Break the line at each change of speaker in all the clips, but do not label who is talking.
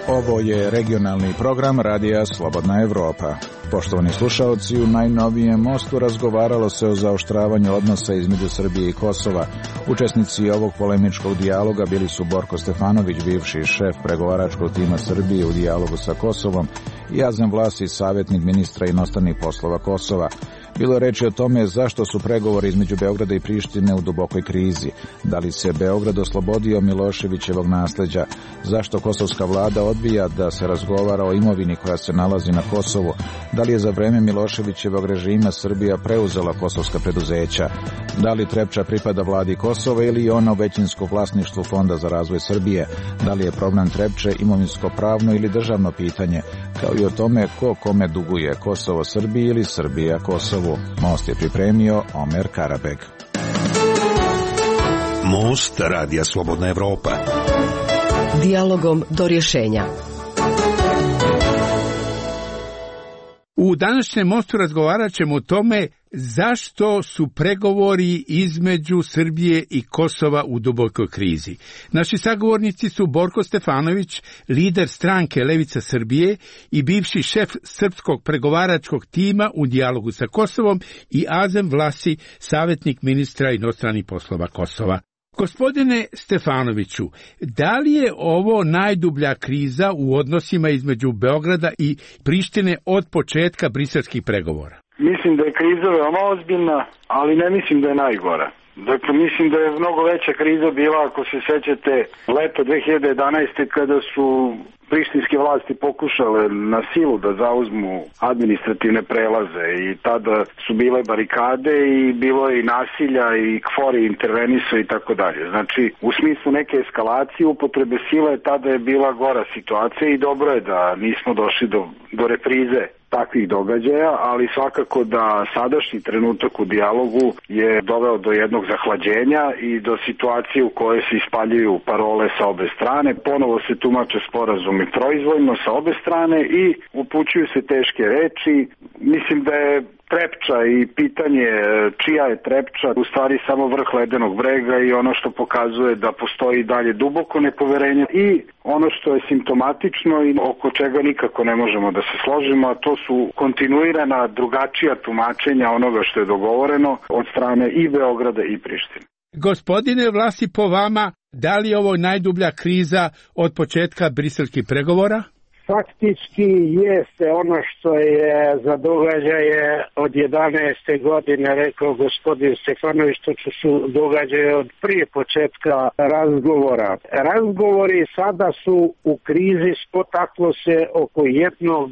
Ovo je regionalni program Radija Slobodna Evropa. Poštovani slušaoci, u najnovijem mostu razgovaralo se o zaoštravanju odnosa između Srbije i Kosova. Učesnici ovog polemičkog dijaloga bili su Borko Stefanović, bivši šef pregovaračkog tima Srbije u dijalogu sa Kosovom, i Azem Vlasi, savjetnik ministra inostranih poslova Kosova. Bilo je reči o tome zašto su pregovori između Beograda i Prištine u dubokoj krizi, da li se Beograd oslobodio Miloševićevog nasleđa, zašto kosovska vlada odbija da se razgovara o imovini koja se nalazi na Kosovu, da li je za vreme Miloševićevog režima Srbija preuzela kosovska preduzeća, da li Trepča pripada vladi Kosova ili je ona u većinskom vlasništvu Fonda za razvoj Srbije, da li je problem Trepče imovinsko-pravno ili državno pitanje, kao i o tome ko kome duguje, Kosovo Srbiji ili Srbija Kosovu. Most je pripremio Omer Karabeg.
Most Radija Slobodna Evropa.
Dijalogom do rješenja.
U današnjem mostu razgovarat ćemo o tome zašto su pregovori između Srbije i Kosova u dubokoj krizi. Naši sagovornici su Borko Stefanović, lider stranke Levica Srbije i bivši šef srpskog pregovaračkog tima u dijalogu sa Kosovom, i Azem Vlasi, savjetnik ministra inostranih poslova Kosova. Gospodine Stefanoviću, da li je ovo najdublja kriza u odnosima između Beograda i Prištine od početka briselskih pregovora?
Mislim da je kriza veoma ozbiljna, ali ne mislim da je najgora. Dakle, mislim da je mnogo veća kriza bila, ako se sećate, leta 2011. kada su prištinske vlasti pokušale na silu da zauzmu administrativne prelaze i tada su bile barikade i bilo je i nasilja i KFOR intervenisao i tako dalje. Znači, u smislu neke eskalacije upotrebe sile tada je bila gora situacija i dobro je da nismo došli do reprize takvih događaja, ali svakako da sadašnji trenutak u dijalogu je doveo do jednog zahlađenja i do situacije u kojoj se ispaljuju parole sa obe strane. Ponovo se tumače sporazumi proizvoljno sa obe strane i upućuju se teške reči. Mislim da je Trepča i pitanje čija je Trepča u stvari samo vrh ledenog brega i ono što pokazuje da postoji dalje duboko nepoverenje i ono što je simptomatično i oko čega nikako ne možemo da se složimo, a to su kontinuirana drugačija tumačenja onoga što je dogovoreno od strane i Beograda i Prištine.
Gospodine Vlasi, po vama, da li je ovo najdublja kriza od početka briselskih pregovora?
Faktički jeste ono što je za događaje od 11. godine rekao gospodin Stefanović, to su događaje od prije početka razgovora. Razgovori sada su u krizi, spotaklo se oko jednog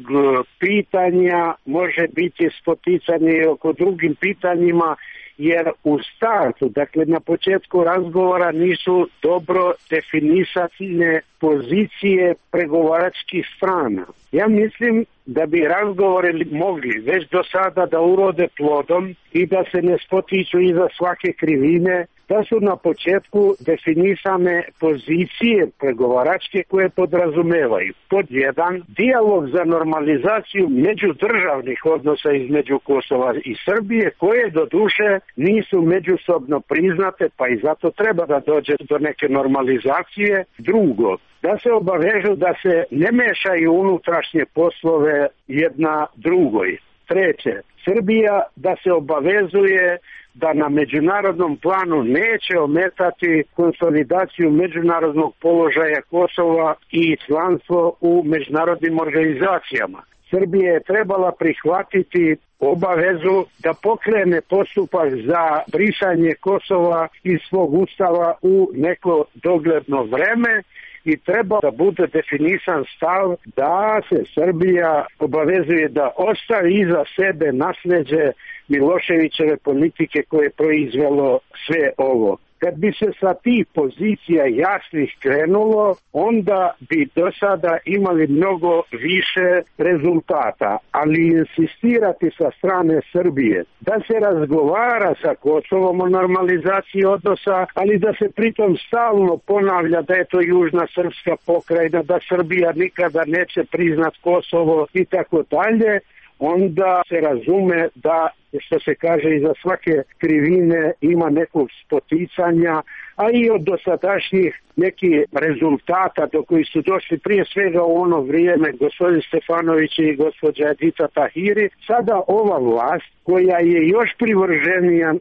pitanja, može biti spoticanje oko drugim pitanjima, jer u startu, dakle na početku razgovora nisu dobro definisane pozicije pregovaračkih strana. Ja mislim da bi razgovori mogli već do sada da urode plodom i da se ne spotiču iza svake krivine, da su na početku definisane pozicije pregovaračke koje podrazumevaju. Pod jedan, dijalog za normalizaciju međudržavnih odnosa između Kosova i Srbije, koje do duše nisu međusobno priznate, pa i zato treba da dođe do neke normalizacije. Drugo, da se obavežu da se ne mešaju unutrašnje poslove jedna drugoj. Treće, Srbija da se obavezuje da na međunarodnom planu neće ometati konsolidaciju međunarodnog položaja Kosova i članstvo u međunarodnim organizacijama. Srbija je trebala prihvatiti obavezu da pokrene postupak za brisanje Kosova iz svog ustava u neko dogledno vreme i treba da bude definisan stav da se Srbija obavezuje da ostavi iza sebe nasleđe Miloševićeve politike koje je proizvelo sve ovo. Kad bi se sa tih pozicija jasnih krenulo, onda bi do sada imali mnogo više rezultata, ali insistirati sa strane Srbije da se razgovara sa Kosovom o normalizaciji odnosa, ali da se pritom stalno ponavlja da je to južna srpska pokrajina, da Srbija nikada neće priznat Kosovo i tako dalje, onda se razume da što se kaže, iza svake krivine ima nekog spoticanja, a i od dosadašnjih nekih rezultata do koji su došli prije svega u ono vrijeme gospodin Stefanović i gospođa Edita Tahiri, sada ova vlast koja je još privrženija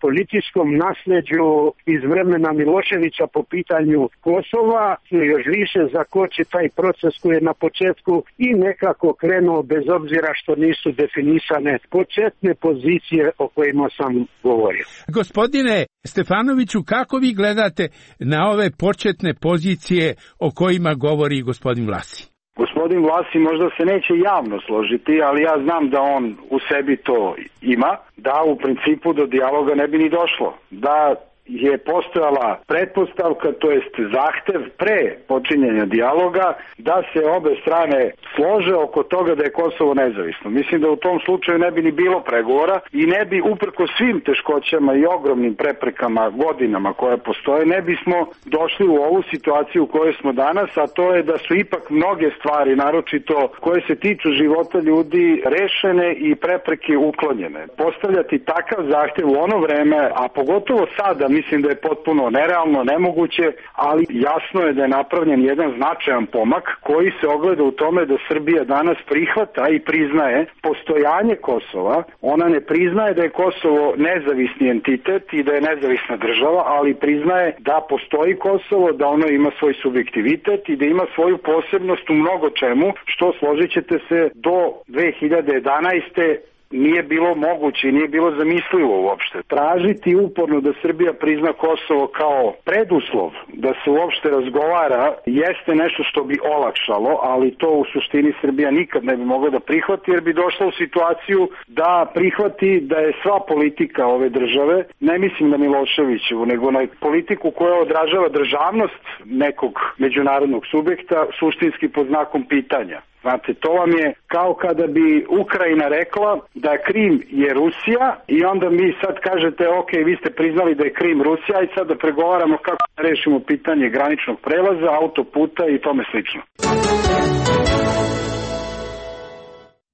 političkom nasleđu iz vremena Miloševića po pitanju Kosova, još više zakoči taj proces koji je na početku i nekako krenuo bez obzira što nisu definisane početne pozicije o kojima sam govorio.
Gospodine Stefanoviću, kako vi gledate na ove početne pozicije o kojima govori gospodin Vlasi?
Gospodin Vlasi možda se neće javno složiti, ali ja znam da on u sebi to ima, da u principu do dijaloga ne bi ni došlo, da je postojala pretpostavka, to jest zahtev pre počinjenja dijaloga, da se obe strane slože oko toga da je Kosovo nezavisno. Mislim da u tom slučaju ne bi ni bilo pregovora i ne bi, uprko svim teškoćama i ogromnim preprekama godinama koje postoje, ne bismo došli u ovu situaciju u kojoj smo danas, a to je da su ipak mnoge stvari, naročito koje se tiču života ljudi, rešene i prepreke uklonjene. Postavljati takav zahtev u ono vreme, a pogotovo sada, mislim da je potpuno nerealno, nemoguće, ali jasno je da je napravljen jedan značajan pomak koji se ogleda u tome da Srbija danas prihvata i priznaje postojanje Kosova. Ona ne priznaje da je Kosovo nezavisni entitet i da je nezavisna država, ali priznaje da postoji Kosovo, da ono ima svoj subjektivitet i da ima svoju posebnost u mnogo čemu, što, složit ćete se, do 2011. nije bilo moguće i nije bilo zamislivo uopšte. Tražiti uporno da Srbija prizna Kosovo kao preduslov da se uopšte razgovara jeste nešto što bi olakšalo, ali to u suštini Srbija nikad ne bi mogla da prihvati, jer bi došla u situaciju da prihvati da je sva politika ove države, ne mislim na Miloševiću, nego na politiku koja odražava državnost nekog međunarodnog subjekta, suštinski pod znakom pitanja. Znate, to vam je kao kada bi Ukrajina rekla da Krim je Rusija i onda mi sad kažete, ok, vi ste priznali da je Krim Rusija i sad da pregovaramo kako da rešimo pitanje graničnog prelaza, autoputa i tome slično.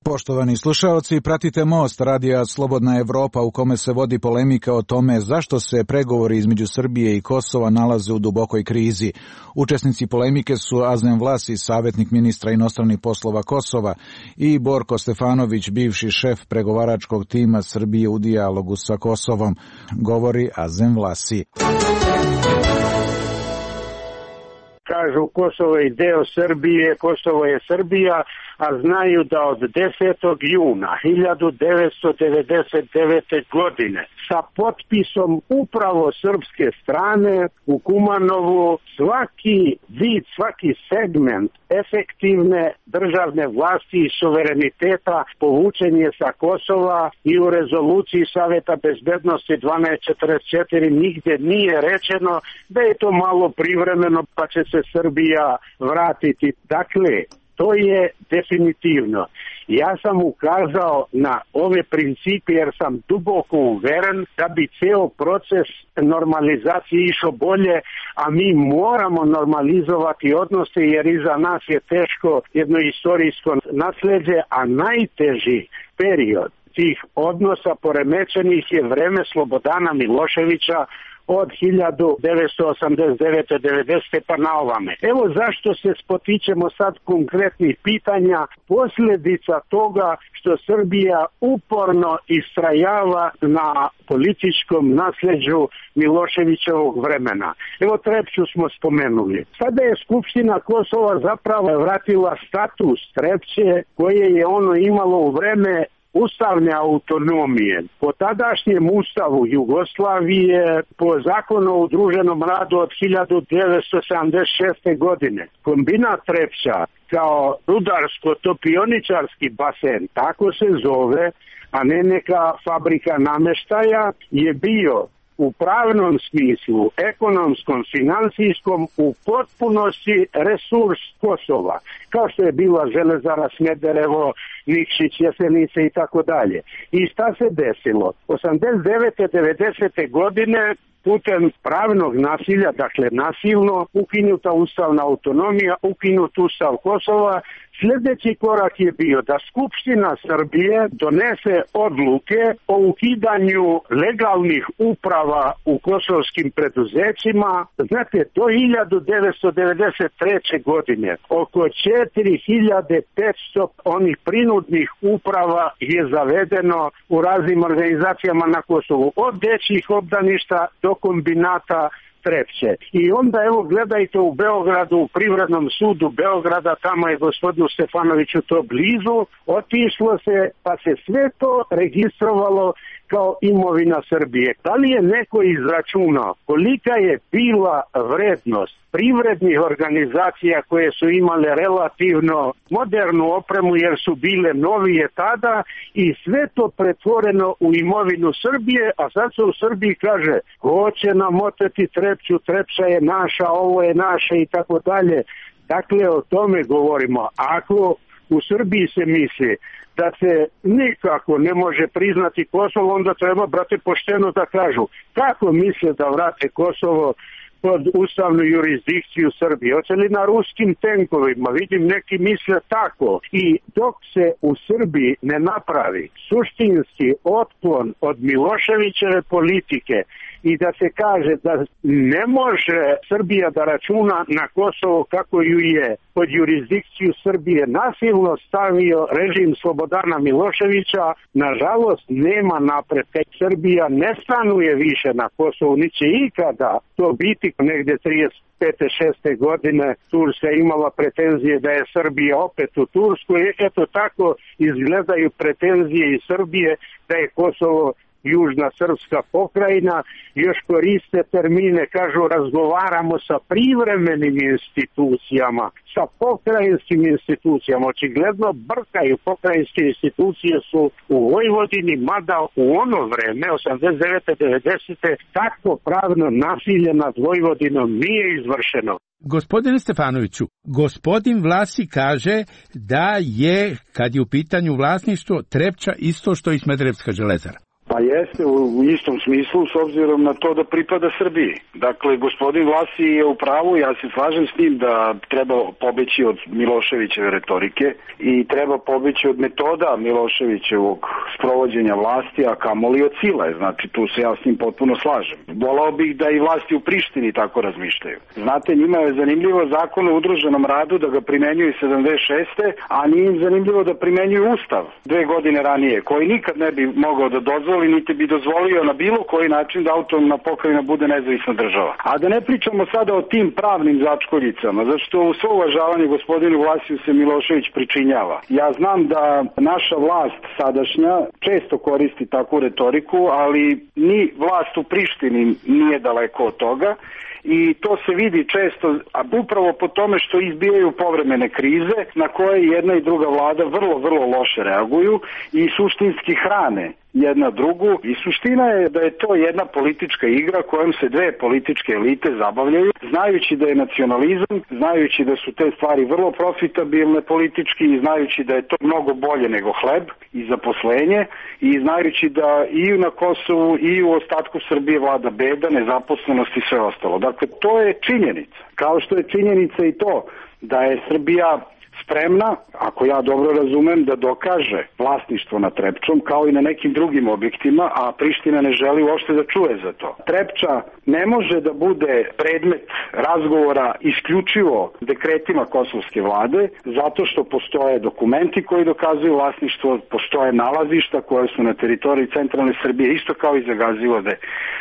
Poštovani slušaoci, pratite Most radija Slobodna Evropa u kome se vodi polemika o tome zašto se pregovori između Srbije i Kosova nalaze u dubokoj krizi. Učesnici polemike su Azem Vlasi, savjetnik ministra inostranih poslova Kosova, i Borko Stefanović, bivši šef pregovaračkog tima Srbije u dijalogu sa Kosovom. Govori Azem Vlasi.
Kažu Kosovo je deo Srbije, Kosovo je Srbija, a znaju da od 10. juna 1999. godine sa potpisom upravo srpske strane u Kumanovu svaki vid, svaki segment efektivne državne vlasti i suvereniteta povučen je sa Kosova i u rezoluciji Saveta bezbednosti 1244 nigde nije rečeno da je to malo privremeno pa će se Srbija vratiti. Dakle, to je definitivno. Ja sam ukazao na ove principe jer sam duboko uveren da bi ceo proces normalizacije išao bolje, a mi moramo normalizovati odnose jer iza nas je teško jedno istorijsko nasleđe, a najteži period tih odnosa poremećenih je vreme Slobodana Miloševića od 1989-90 pa na ovame. Evo zašto se spotičemo sad konkretnih pitanja, posljedica toga što Srbija uporno istrajava na političkom nasleđu Miloševićevog vremena. Evo Trepču smo spomenuli. Sada je Skupština Kosova zapravo vratila status Trepče koje je ono imalo u vreme ustavne autonomije. Po tadašnjem ustavu Jugoslavije, po zakonu o udruženom radu od 1976. godine, kombinat Trepča kao rudarsko-topioničarski basen, tako se zove, a ne neka fabrika nameštaja, je bio u pravnom smislu, ekonomskom, finansijskom, u potpunosti resurs Kosova, kao što je bila Železara Smederevo, Nikšić, Jesenice i tako dalje. I šta se desilo? 89. 90. godine putem pravnog nasilja, dakle nasilno, ukinuta ustavna autonomija, ukinut ustav Kosova. Sljedeći korak je bio da Skupština Srbije donese odluke o ukidanju legalnih uprava u kosovskim preduzećima. Znate, do 1993. godine oko 4500 onih prinudnih uprava je zavedeno u raznim organizacijama na Kosovu, od dečjih obdaništa do kombinata Trepče. I onda evo gledajte u Beogradu, u Privrednom sudu Beograda, tamo je gospodinu Stefanoviću to blizu, otišlo se pa se sve to registrovalo kao imovina Srbije. Da li je neko izračunao kolika je bila vrednost privrednih organizacija koje su imale relativno modernu opremu jer su bile novije tada i sve to pretvoreno u imovinu Srbije, a sad se u Srbiji kaže hoće nam oteti Trepču, Trepča je naša, ovo je naše i tako dalje. Dakle, o tome govorimo. Ako u Srbiji se misli da se nikako ne može priznati Kosovo, onda treba, brate, pošteno da kažu kako misle da vrate Kosovo pod ustavnu jurisdikciju Srbije. Hoće li na ruskim tenkovima? Vidim, neki misle tako. I dok se u Srbiji ne napravi suštinski otklon od Miloševićeve politike i da se kaže da ne može Srbija da računa na Kosovo kako ju je pod jurisdikciju Srbije nasilno stavio režim Slobodana Miloševića, nažalost nema napretka. Srbija ne stanuje više na Kosovu, ni će ikada to biti. Negdje 35. 6. godine Turska imala pretenzije da je Srbija opet u Turskoj. Eto tako izgledaju pretenzije iz Srbije da je Kosovo južna srpska pokrajina, još koriste termine, kažu razgovaramo sa privremenim institucijama, sa pokrajinskim institucijama. Očigledno brkaju, pokrajinske institucije su u Vojvodini, mada u ono vreme, 89. 90. takvo pravno nasilje nad Vojvodinom nije izvršeno.
Gospodine Stefanoviću, gospodin Vlasi kaže da je, kad je u pitanju vlasništvo, Trepča isto što i Smederevska železara.
Pa jeste, u istom smislu, s obzirom na to da pripada Srbiji. Dakle, gospodin Vlasi je u pravu, ja se slažem s njim da treba pobeći od Miloševićeve retorike i treba pobeći od metoda Miloševićevog sprovođenja vlasti, a kamoli od sile. Znači, tu se ja s njim potpuno slažem. Volao bih da i vlasti u Prištini tako razmišljaju. Znate, njima je zanimljivo zakon o udruženom radu da ga primenjuju 76. a nije im zanimljivo da primenjuju Ustav 2 godine ranije, koji nikad ne bi mogao da dozvoli niti bi dozvolio na bilo koji način da autonomna pokrajina bude nezavisna država. A da ne pričamo sada o tim pravnim začkoljicama, zašto u svo uvažavanje gospodinu Vlasiju se Milošević pričinjava. Ja znam da naša vlast sadašnja često koristi takvu retoriku, ali ni vlast u Prištini nije daleko od toga. I to se vidi često, a upravo po tome što izbijaju povremene krize na koje jedna i druga vlada vrlo, vrlo loše reaguju i suštinski hrane jedna drugu. I suština je da je to jedna politička igra kojom se dve političke elite zabavljaju, znajući da je nacionalizam, znajući da su te stvari vrlo profitabilne politički i znajući da je to mnogo bolje nego hleb i zaposlenje i znajući da i na Kosovu i u ostatku Srbije vlada beda, nezaposlenost i sve ostalo. Dakle, to je činjenica. Kao što je činjenica i to da je Srbija spremna, ako ja dobro razumem, da dokaže vlasništvo nad Trepčom kao i na nekim drugim objektima, a Priština ne želi uopšte da čuje za to. Trepča ne može da bude predmet razgovora isključivo dekretima kosovske vlade, zato što postoje dokumenti koji dokazuju vlasništvo, postoje nalazišta koje su na teritoriji centralne Srbije, isto kao i za Gazivode.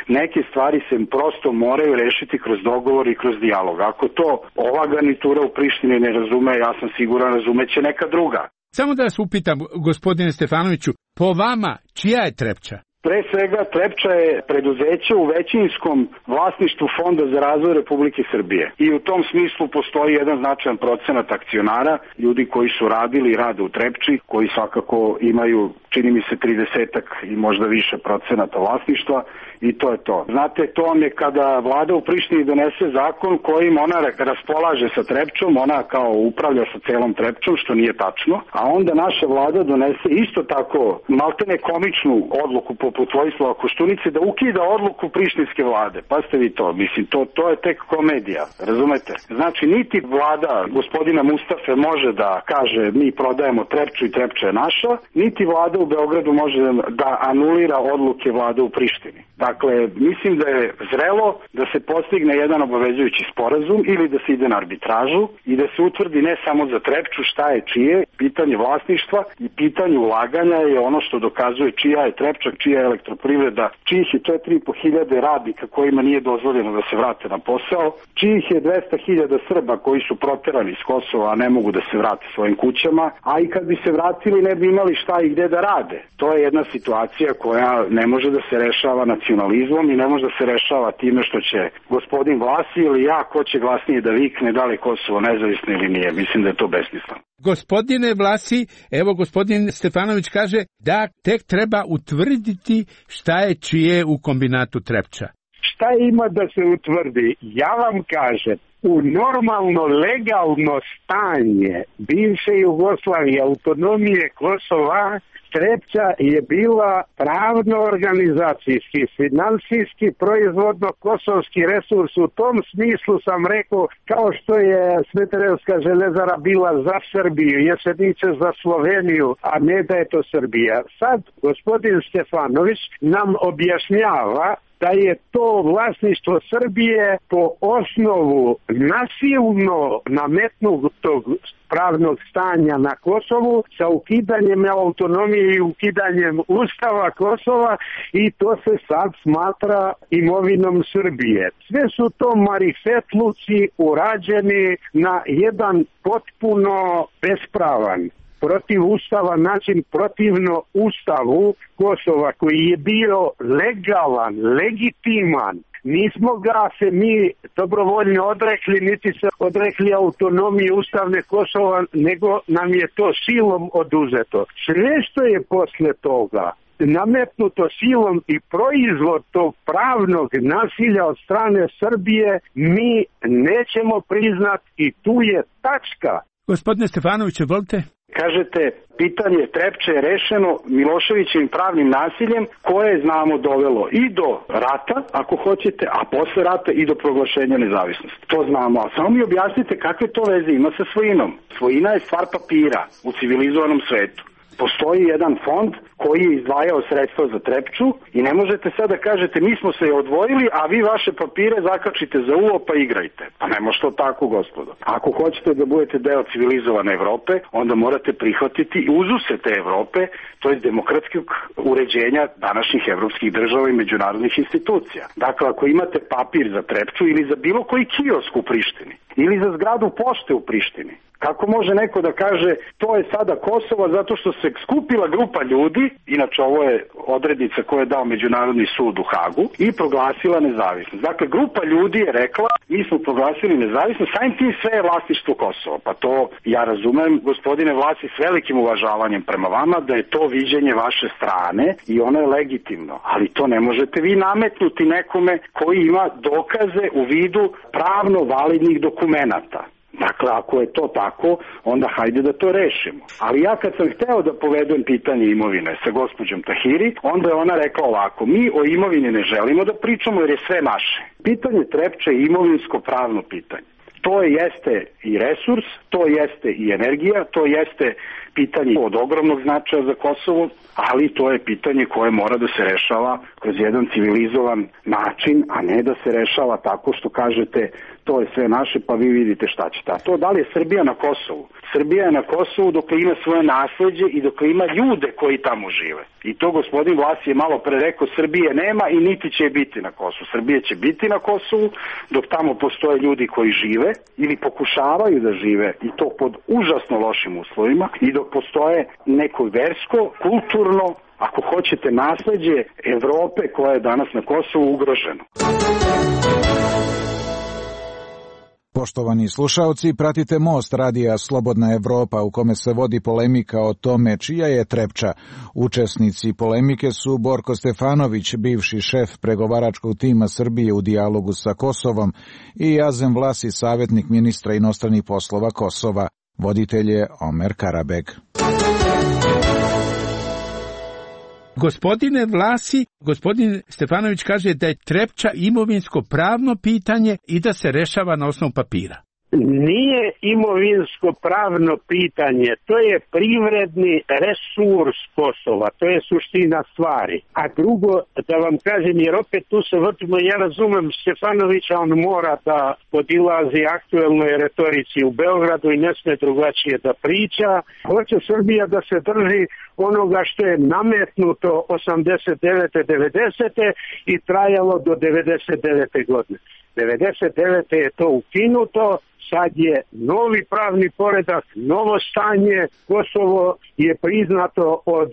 Neke stvari se prosto moraju rešiti kroz dogovor i kroz dijalog. Ako to ova garnitura u Prištini ne razume, ja sam siguran razumeće neka druga.
Samo da vas upitam, gospodine Stefanoviću, po vama, čija je Trepča?
Pre svega, Trepča je preduzeće u većinskom vlasništvu Fonda za razvoj Republike Srbije. I u tom smislu postoji jedan značajan procenat akcionara, ljudi koji su radili i rade u Trepči, koji svakako imaju, čini mi se, 30-ak i možda više procenata vlasništva i to je to. Znate, to vam je kada vlada u Prištini donese zakon kojim ona raspolaže sa Trepčom, ona kao upravlja sa celom Trepčom, što nije tačno, a onda naša vlada donese isto tako maltene komičnu odluku po poput Vojislava Koštunice da ukida odluku prištinske vlade. Pa ste vi to, mislim, to je tek komedija, razumete? Znači, niti vlada gospodina Mustafe može da kaže mi prodajemo Trepču i Trepča je naša, niti vlada u Beogradu može da anulira odluke vlade u Prištini. Dakle, mislim da je zrelo da se postigne jedan obavezujući sporazum ili da se ide na arbitražu i da se utvrdi ne samo za Trepču šta je čije, pitanje vlasništva i pitanje ulaganja je ono što dokazuje čija je Trepča, čija je elektroprivreda, čijih je 4.500 radnika kojima nije dozvoljeno da se vrate na posao, čijih je 200.000 Srba koji su proterani iz Kosova, a ne mogu da se vrate svojim kućama, a i kad bi se vratili ne bi imali šta i gde da rade. To je jedna situacija koja ne može da se rešava nacionalizmom i ne može da se rešava time što će gospodin Vlasi ili ja, ko će glasnije da vikne da li Kosovo nezavisno ili nije. Mislim da je to besmisleno.
Gospodine Vlasi, evo gospodin Stefanović kaže da tek treba utvrditi šta je čije u kombinatu Trepča.
Šta ima da se utvrdi? Ja vam kažem, u normalno legalno stanje bivše Jugoslavije, autonomije Kosova, Trepča je bila pravno organizacijski, finansijski, proizvodno kosovski resurs. U tom smislu sam rekao, kao što je Smederevska železara bila za Srbiju, Jesenice za Sloveniju, a ne da je to Srbija. Sad gospodin Stefanović nam objašnjava da je to vlasništvo Srbije po osnovu nasilno nametnutog pravnog stanja na Kosovu sa ukidanjem autonomije i ukidanjem Ustava Kosova i to se sad smatra imovinom Srbije. Sve su to marifetluci urađeni na jedan potpuno bespravan, protiv Ustava način, protivno Ustavu Kosova koji je bio legalan, legitiman. Nismo ga se mi dobrovoljno odrekli, niti se odrekli autonomije ustavne Kosova, nego nam je to silom oduzeto. Sve što je posle toga nametnuto silom i proizvod tog pravnog nasilja od strane Srbije mi nećemo priznati i tu je tačka.
Gospodine Stefanoviću, volite?
Kažete, pitanje Trepče je rešeno Miloševićevim pravnim nasiljem koje znamo dovelo i do rata, ako hoćete, a posle rata i do proglašenja nezavisnosti. To znamo, a samo mi objasnite kakve to veze ima sa svojinom. Svojina je stvar papira u civilizovanom svetu. Postoji jedan fond koji je izdvajao sredstva za Trepču i ne možete sad da kažete mi smo se odvojili, a vi vaše papire zakačite za uvo pa igrajte. Pa ne može to tako, gospodo. Ako hoćete da budete deo civilizovane Evrope, onda morate prihvatiti uzuse te Evrope, to je demokratskog uređenja današnjih evropskih država i međunarodnih institucija. Dakle, ako imate papir za Trepču ili za bilo koji kiosk u Prištini, ili za zgradu pošte u Prištini, kako može neko da kaže to je sada Kosovo zato što se skupila grupa ljudi, inače ovo je odrednica koju je dao Međunarodni sud u Hagu, i proglasila nezavisnost. Dakle, grupa ljudi je rekla mi smo proglasili nezavisnost, samim tim sve je vlasništvo Kosova. Pa to ja razumem, gospodine Vlasi, s velikim uvažavanjem prema vama da je to viđenje vaše strane i ono je legitimno. Ali to ne možete vi nametnuti nekome koji ima dokaze u vidu pravno validnih dokumenata. Dakle, ako je to tako, onda hajde da to rešimo. Ali ja kad sam hteo da povedem pitanje imovine sa gospođom Tahiri, onda je ona rekla ovako, mi o imovini ne želimo da pričamo jer je sve naše. Pitanje Trepče je imovinsko-pravno pitanje. To jeste i resurs, to jeste i energija, to jeste pitanje od ogromnog značaja za Kosovo, ali to je pitanje koje mora da se rešava kroz jedan civilizovan način, a ne da se rešava tako što kažete to je sve naše pa vi vidite šta ćete. A to da li je Srbija na Kosovu? Srbija je na Kosovu dok ima svoje nasleđe i dok ima ljude koji tamo žive. I to gospodin Vlasi je malo pre rekao, Srbije nema i niti će biti na Kosovu. Srbije će biti na Kosovu dok tamo postoje ljudi koji žive ili pokušavaju da žive i to pod užasno lošim uslovima i dok postoje neko versko, kulturno, ako hoćete, nasleđe Evrope koja je danas na Kosovu ugroženo.
Poštovani slušaoci, pratite Most radija Slobodna Evropa u kome se vodi polemika o tome čija je Trepča. Učesnici polemike su Borko Stefanović, bivši šef pregovaračkog tima Srbije u dijalogu sa Kosovom, i Azem Vlasi, savjetnik ministra inostranih poslova Kosova. Voditelj je Omer Karabeg.
Gospodine Vlasi, gospodin Stefanović kaže da je Trepča imovinsko pravno pitanje i da se rešava na osnovu papira.
Nije imovinsko pravno pitanje, to je privredni resurs Kosova, to je suština stvari. A drugo, da vam kažem, jer opet tu se vrtimo, ja razumem Stefanovića, on mora da podilazi aktuelnoj retorici u Beogradu i ne sme drugačije da priča. Hoće Srbija da se drži onoga što je nametnuto 89. 90. i trajalo do 99. godine. 99. je to ukinuto, sad je novi pravni poredak, novo stanje, Kosovo je priznato od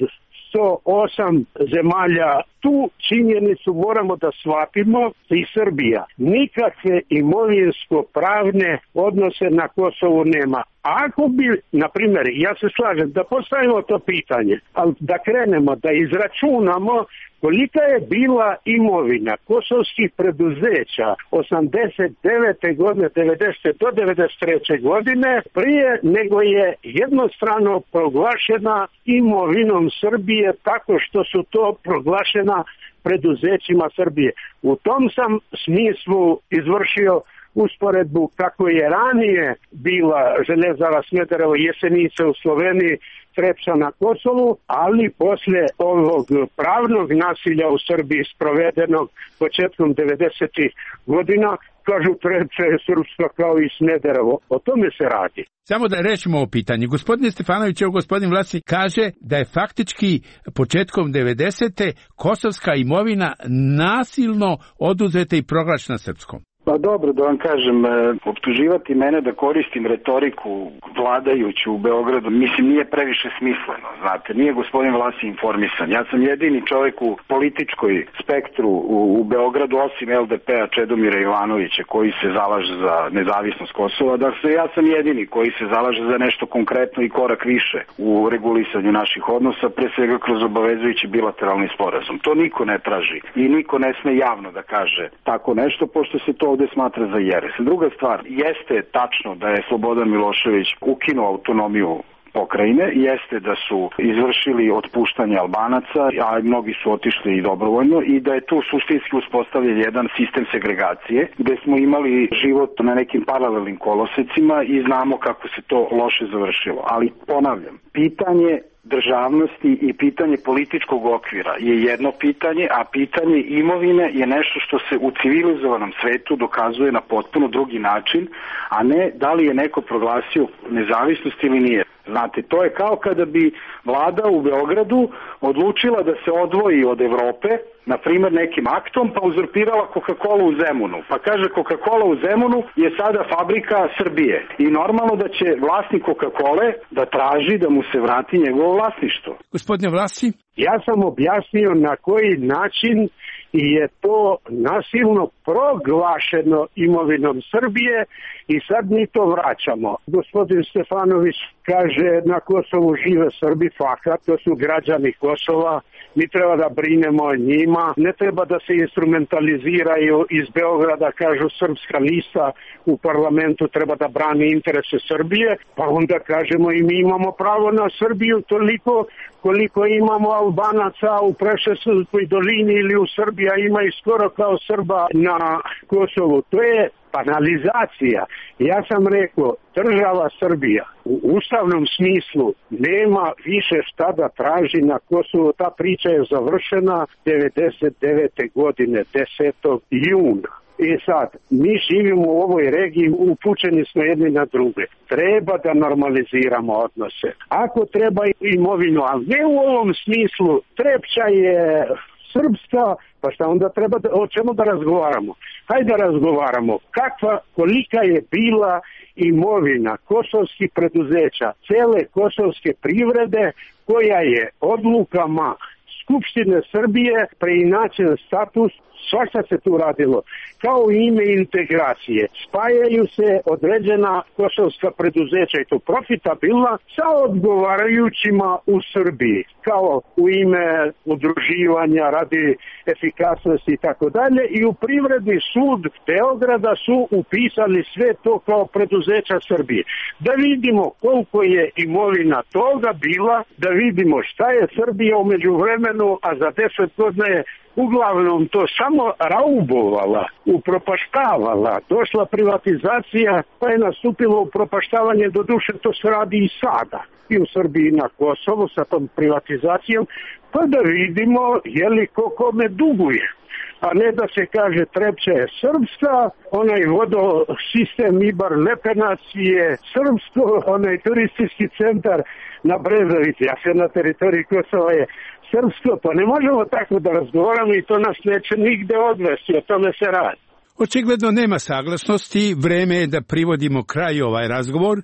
108 zemalja. Tu činjenicu moramo da shvatimo i Srbija. Nikakve imovinsko-pravne odnose na Kosovu nema. Ako bi, na primjer, ja se slažem da postavimo to pitanje, ali da krenemo, da izračunamo kolika je bila imovina kosovskih preduzeća 89. godine, 90. do 93. godine, prije nego je jednostrano proglašena imovinom Srbije tako što su to proglašena preduzećima Srbije. U tom sam smislu izvršio usporedbu kako je ranije bila Željezara Smederevo Jesenice u Sloveniji, Trepča na Kosovu, ali posle ovog pravnog nasilja u Srbiji sprovedenog početkom 90. godina, kažu Trepča je srpska kao i Smederevo. O tome se radi.
Samo da rečemo o pitanju. Gospodine Stefanović, evo gospodin Vlasi kaže da je faktički početkom 90. kosovska imovina nasilno oduzeta i proglašena srpskom.
Pa dobro, da vam kažem, optuživati mene da koristim retoriku vladajuću u Beogradu, mislim, nije previše smisleno, znate, nije gospodin Vlasi informisan. Ja sam jedini čovjek u političkoj spektru u Beogradu, osim LDP-a Čedomira Ivanovića, koji se zalaže za nezavisnost Kosova, dakle, ja sam jedini koji se zalaže za nešto konkretno i korak više u regulisanju naših odnosa, pre svega kroz obavezujući bilateralni sporazum. To niko ne traži i niko ne sme javno da kaže tako nešto, pošto se to ovde smatra za jeres. Druga stvar, jeste tačno da je Slobodan Milošević ukinuo autonomiju pokrajine, jeste da su izvršili otpuštanje Albanaca, a mnogi su otišli i dobrovoljno, i da je tu suštinski uspostavljen jedan sistem segregacije, gde smo imali život na nekim paralelnim kolosecima i znamo kako se to loše završilo. Ali ponavljam, pitanje državnosti i pitanje političkog okvira je jedno pitanje, a pitanje imovine je nešto što se u civilizovanom svetu dokazuje na potpuno drugi način, a ne da li je neko proglasio nezavisnost ili nije. Znate, to je kao kada bi vlada u Beogradu odlučila da se odvoji od Evrope, na primjer nekim aktom, pa uzurpirala Coca-Cola u Zemunu. Pa kaže, Coca-Cola u Zemunu je sada fabrika Srbije. I normalno da će vlasnik Coca-Cole da traži da mu se vrati njegovo vlasništvo.
Gospodine Vlasi?
Ja sam objasnio na koji način je to nasilno proglašeno imovinom Srbije i sad mi to vraćamo. Gospodin Stefanović kaže na Kosovu žive Srbi, fakat, to su građani Kosova, mi treba da brinemo o njima, ne treba da se instrumentaliziraju iz Beograda, kažu srpska lista u parlamentu treba da brani interese Srbije, pa onda kažemo i mi imamo pravo na Srbiju toliko koliko imamo Albanaca u Preševskoj dolini ili u Srbiji, ima i skoro kao Srba na Kosovu. To je banalizacija. Ja sam rekao, država Srbija u ustavnom smislu nema više šta da traži na Kosovu. Ta priča je završena 99. godine, 10. juna. I sad, mi živimo u ovoj regiji, upućeni smo jedni na druge. Treba da normaliziramo odnose. Ako treba imovinu, ali ne u ovom smislu, Trepča je srpska, pa šta onda treba, o čemu da razgovaramo? Hajde da razgovaramo. Kolika je bila imovina kosovskih preduzeća, cele kosovske privrede, koja je odlukama Skupštine Srbije preinačen status, svašta se tu radilo, kao ime integracije. Spajaju se određena kosovska preduzeća i to profitabilna sa odgovarajućima u Srbiji, kao u ime udruživanja radi efikasnosti i tako dalje, i u Privredni sud Beograda su upisali sve to kao preduzeća Srbije. Da vidimo koliko je imovina toga bila, da vidimo šta je Srbija u međuvremenu stranu, a za 10 godina je uglavnom to samo raubovala, upropaštavala. Došla privatizacija, pa je nastupilo upropaštavanje, do duše to se radi i sada. I u Srbiji na Kosovu sa tom privatizacijom, pa da vidimo je li ko kome duguje. A ne da se kaže Trepča je srpska, onaj vodosistem Ibar Lepenac je srpsko, onaj turistički centar na Brezovici, a sve na teritoriji Kosova je srpsko, pa ne možemo tako da razgovaramo i to nas neće nigde odvesti, o tome se radi.
Očigledno nema saglasnosti, vreme je da privodimo kraj ovaj razgovor.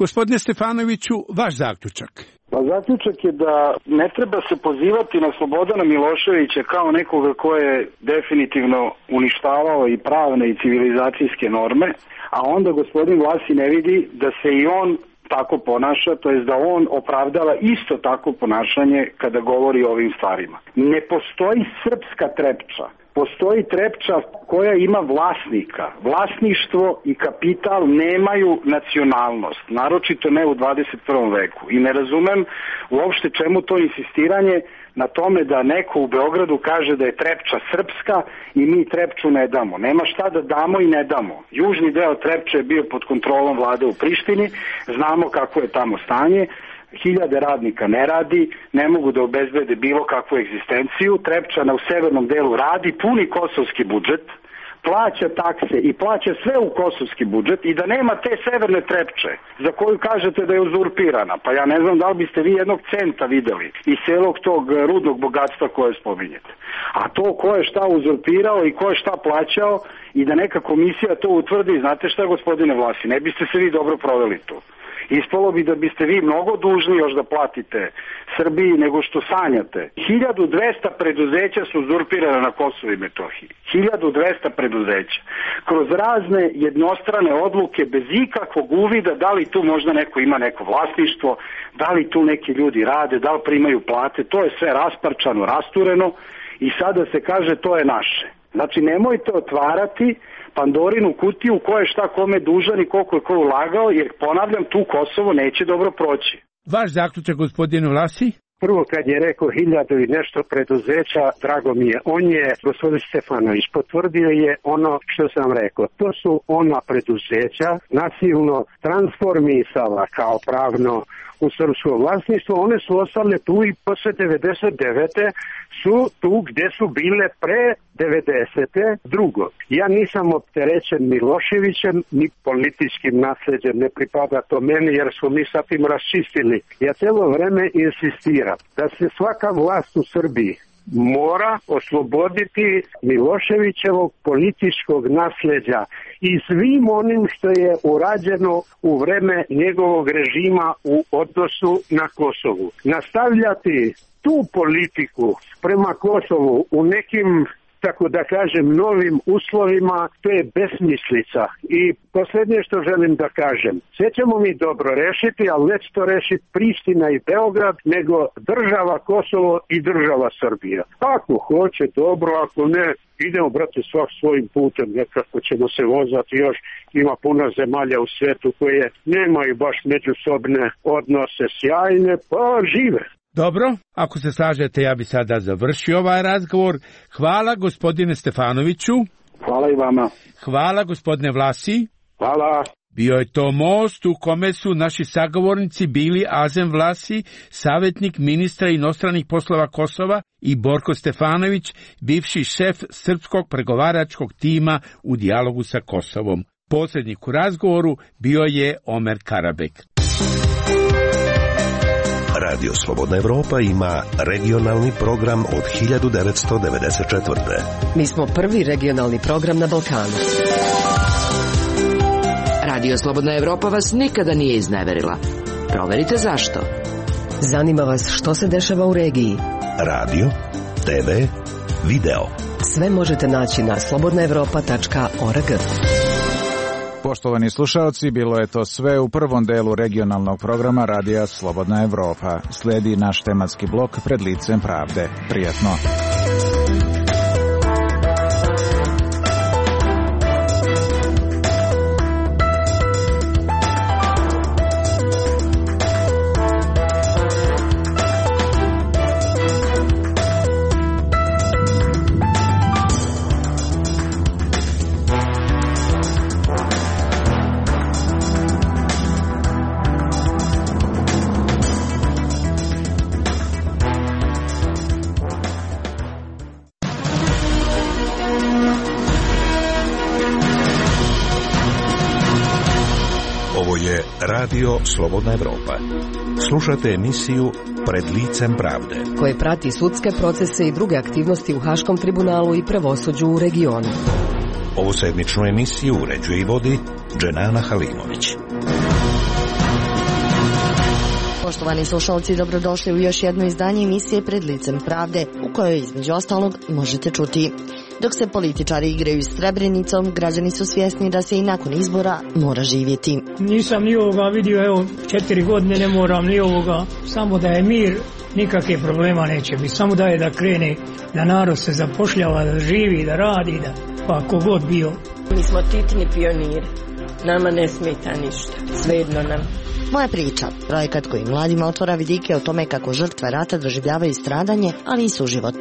Gospodine Stefanoviću, vaš zaključak.
Pa zaključak je da ne treba se pozivati na Slobodana Miloševića kao nekoga ko je definitivno uništavao i pravne i civilizacijske norme, a onda gospodin Vlasi ne vidi da se i on tako ponaša, to jest da on opravdava isto tako ponašanje kada govori o ovim stvarima. Ne postoji srpska Trepča. Postoji Trepča koja ima vlasnika. Vlasništvo i kapital nemaju nacionalnost, naročito ne u 21. veku. I ne razumem uopšte čemu to insistiranje na tome da neko u Beogradu kaže da je Trepča srpska i mi Trepču ne damo. Nema šta da damo i ne damo. Južni deo Trepče je bio pod kontrolom vlade u Prištini, znamo kako je tamo stanje. Hiljade radnika ne radi, ne mogu da obezbede bilo kakvu egzistenciju. Trepčana u severnom delu radi, puni kosovski budžet, plaća takse i plaća sve u kosovski budžet i da nema te severne Trepče za koju kažete da je uzurpirana. Pa ja ne znam da li biste vi jednog centa videli iz celog tog rudnog bogatstva koje spominjete. A to ko je šta uzurpirao i ko je šta plaćao i da neka komisija to utvrdi, znate šta, gospodine Vlasi, ne biste se vi dobro proveli tu. Ispalo bi da biste vi mnogo dužni još da platite Srbiji nego što sanjate. 1200 preduzeća su uzurpirane na Kosovu i Metohiji. 1200 preduzeća. Kroz razne jednostrane odluke bez ikakvog uvida da li tu možda neko ima neko vlasništvo, da li tu neki ljudi rade, da li primaju plate. To je sve rasparčano, rastureno i sada se kaže to je naše. Znači nemojte otvarati Pandorinu kutiju ko je šta kome dužan i koliko je ko ulagao, jer ponavljam, tu Kosovo neće dobro proći.
Vaš zaključak, gospodine Vlasi?
Prvo kad je rekao 1000 i nešto preduzeća, drago mi je, on je, gospodin Stefanović, potvrdio je ono što sam rekao. To su ona preduzeća nasilno transformisala kao pravno u srpsko vlasništvo, one su ostale tu i posle 99. su tu gde su bile pre 90. Drugo, ja nisam opterećen Miloševićem ni političkim nasleđem, ne pripada to meni jer smo mi sa tim raščistili. Ja celo vreme insistiram da se svaka vlast u Srbiji mora osloboditi Miloševićevog političkog nasleđa i svim onim što je urađeno u vreme njegovog režima u odnosu na Kosovu. Nastavljati tu politiku prema Kosovu u nekim, tako da kažem, novim uslovima, to je besmislica. I posljednje što želim da kažem, sve ćemo mi dobro rešiti, ali neće to rešiti Priština i Beograd, nego država Kosovo i država Srbija. Ako hoće, dobro, ako ne, idemo, brate, svak svojim putem, nekako ćemo se vozati još. Ima puno zemalja u svetu koje nemaju baš međusobne odnose sjajne, pa žive.
Dobro, ako se slažete, ja bi sada završio ovaj razgovor. Hvala gospodine Stefanoviću.
Hvala i vama.
Hvala gospodine Vlasi.
Hvala.
Bio je to most u kome su naši sagovornici bili Azem Vlasi, savjetnik ministra inostranih poslova Kosova, i Borko Stefanović, bivši šef srpskog pregovaračkog tima u dijalogu sa Kosovom. Posrednik u razgovoru bio je Omer Karabek.
Radio Slobodna Evropa ima regionalni program od 1994.
Mi smo prvi regionalni program na Balkanu.
Radio Slobodna Evropa vas nikada nije izneverila. Proverite zašto.
Zanima vas što se dešava u regiji.
Radio, TV, video.
Sve možete naći na slobodnaevropa.org.
Poštovani slušaoci, bilo je to sve u prvom delu regionalnog programa Radija Slobodna Evropa. Slijedi naš tematski blok Pred licem pravde. Prijatno.
je Radio Slobodna Evropa. Slušate emisiju Pred licem pravde,
koje prati sudske procese i druge aktivnosti u Haškom tribunalu i pravosuđu u regionu.
Ovu sedmičnu emisiju uređuje i vodi Dženana Halimović.
Poštovani slušalci, dobrodošli u još jedno izdanje emisije Pred licem pravde, u kojoj između ostalog možete čuti: dok se političari igraju s Srebrenicom, građani su svjesni da se i nakon izbora mora živjeti.
Nisam ni ovoga vidio, evo 4 godine ne moram ni ovoga, samo da je mir, nikakve problema neće biti, samo da je da krene, da narod se zapošljava, da živi, da radi, da pa kogod bio.
Mi smo titni pioniri, nama ne smeta ništa, svejedno nam.
Moja priča, projekat koji mladima otvara vidike o tome kako žrtve rata doživljavaju stradanje, ali i suživot.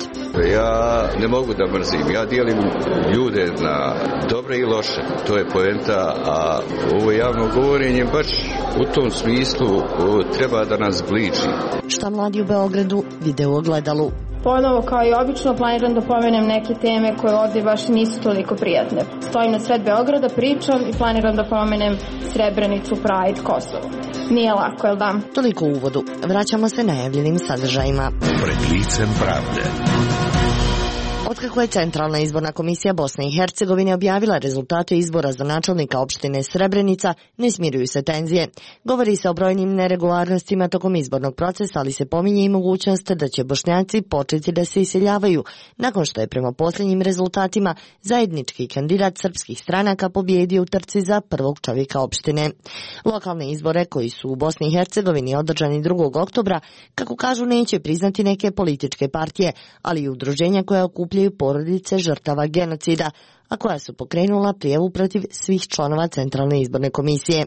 Ja ne mogu da mrzim, ja dijelim ljude na dobre i loše, to je poenta, a ovo javno govorenje baš u tom smislu treba da nas zbliži.
Šta mladi u Beogradu vide u ogledalu?
Ponovo, kao i obično, planiram da pomenem neke teme koje ovdje baš nisu toliko prijatne. Stojim na sred Beograda, pričam i planiram da pomenem Srebrenicu, Pride, Kosovo. Nije lako, jel da?
Toliko u uvodu. Vraćamo se najavljenim sadržajima.
Pred licem pravde.
Otkako je Centralna izborna komisija Bosne i Hercegovine objavila rezultate izbora za načelnika opštine Srebrenica, ne smiruju se tenzije. Govori se o brojnim neregularnostima tokom izbornog procesa, ali se pominje i mogućnost da će Bošnjaci početi da se iseljavaju, nakon što je prema posljednjim rezultatima zajednički kandidat srpskih stranaka pobjedio u trci za prvog čovjeka opštine. Lokalne izbore, koji su u Bosni i Hercegovini održani 2. oktobra, kako kažu, neće priznati neke političke partije, ali i udruženja koja okupljaju porodice žrtava genocida, a koja su pokrenula prijavu protiv svih članova Centralne izborne komisije.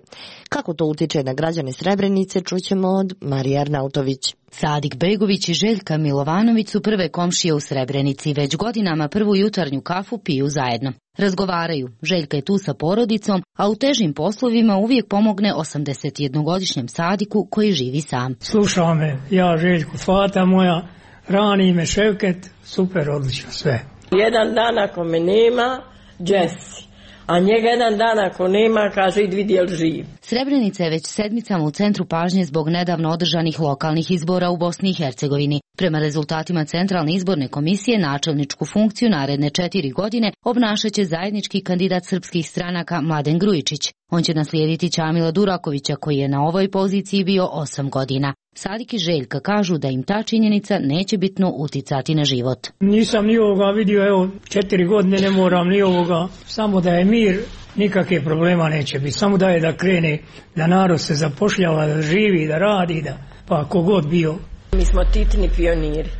Kako to utiče na građane Srebrenice, čućemo od Marije Arnautović.
Sadik Begović i Željka Milovanović su prve komšije u Srebrenici. Već godinama prvu jutarnju kafu piju zajedno. Razgovaraju. Željka je tu sa porodicom, a u težim poslovima uvijek pomogne 81-godišnjem Sadiku koji živi sam.
Slušao me, ja Željku, fata moja, rani me Ševket, super, odlično, sve.
Jedan dan ako me nema, Jesse. A njega jedan dan ako nema, kaže, idi vidi jel živ.
Srebrenica je već sedmicama u centru pažnje zbog nedavno održanih lokalnih izbora u Bosni i Hercegovini. Prema rezultatima Centralne izborne komisije, načelničku funkciju naredne 4 godine obnašaće zajednički kandidat srpskih stranaka Mladen Grujičić. On će naslijediti Ćamila Durakovića, koji je na ovoj poziciji bio 8 godina. Sadik i Željka kažu da im ta činjenica neće bitno uticati na život.
Nisam ni ovoga vidio, evo 4 godine ne moram ni ovoga, samo da je mir, nikakve problema neće biti, samo da je da krene, da narod se zapošljava, da živi, da radi, da pa kogod bio.
Mi smo titni pioniri,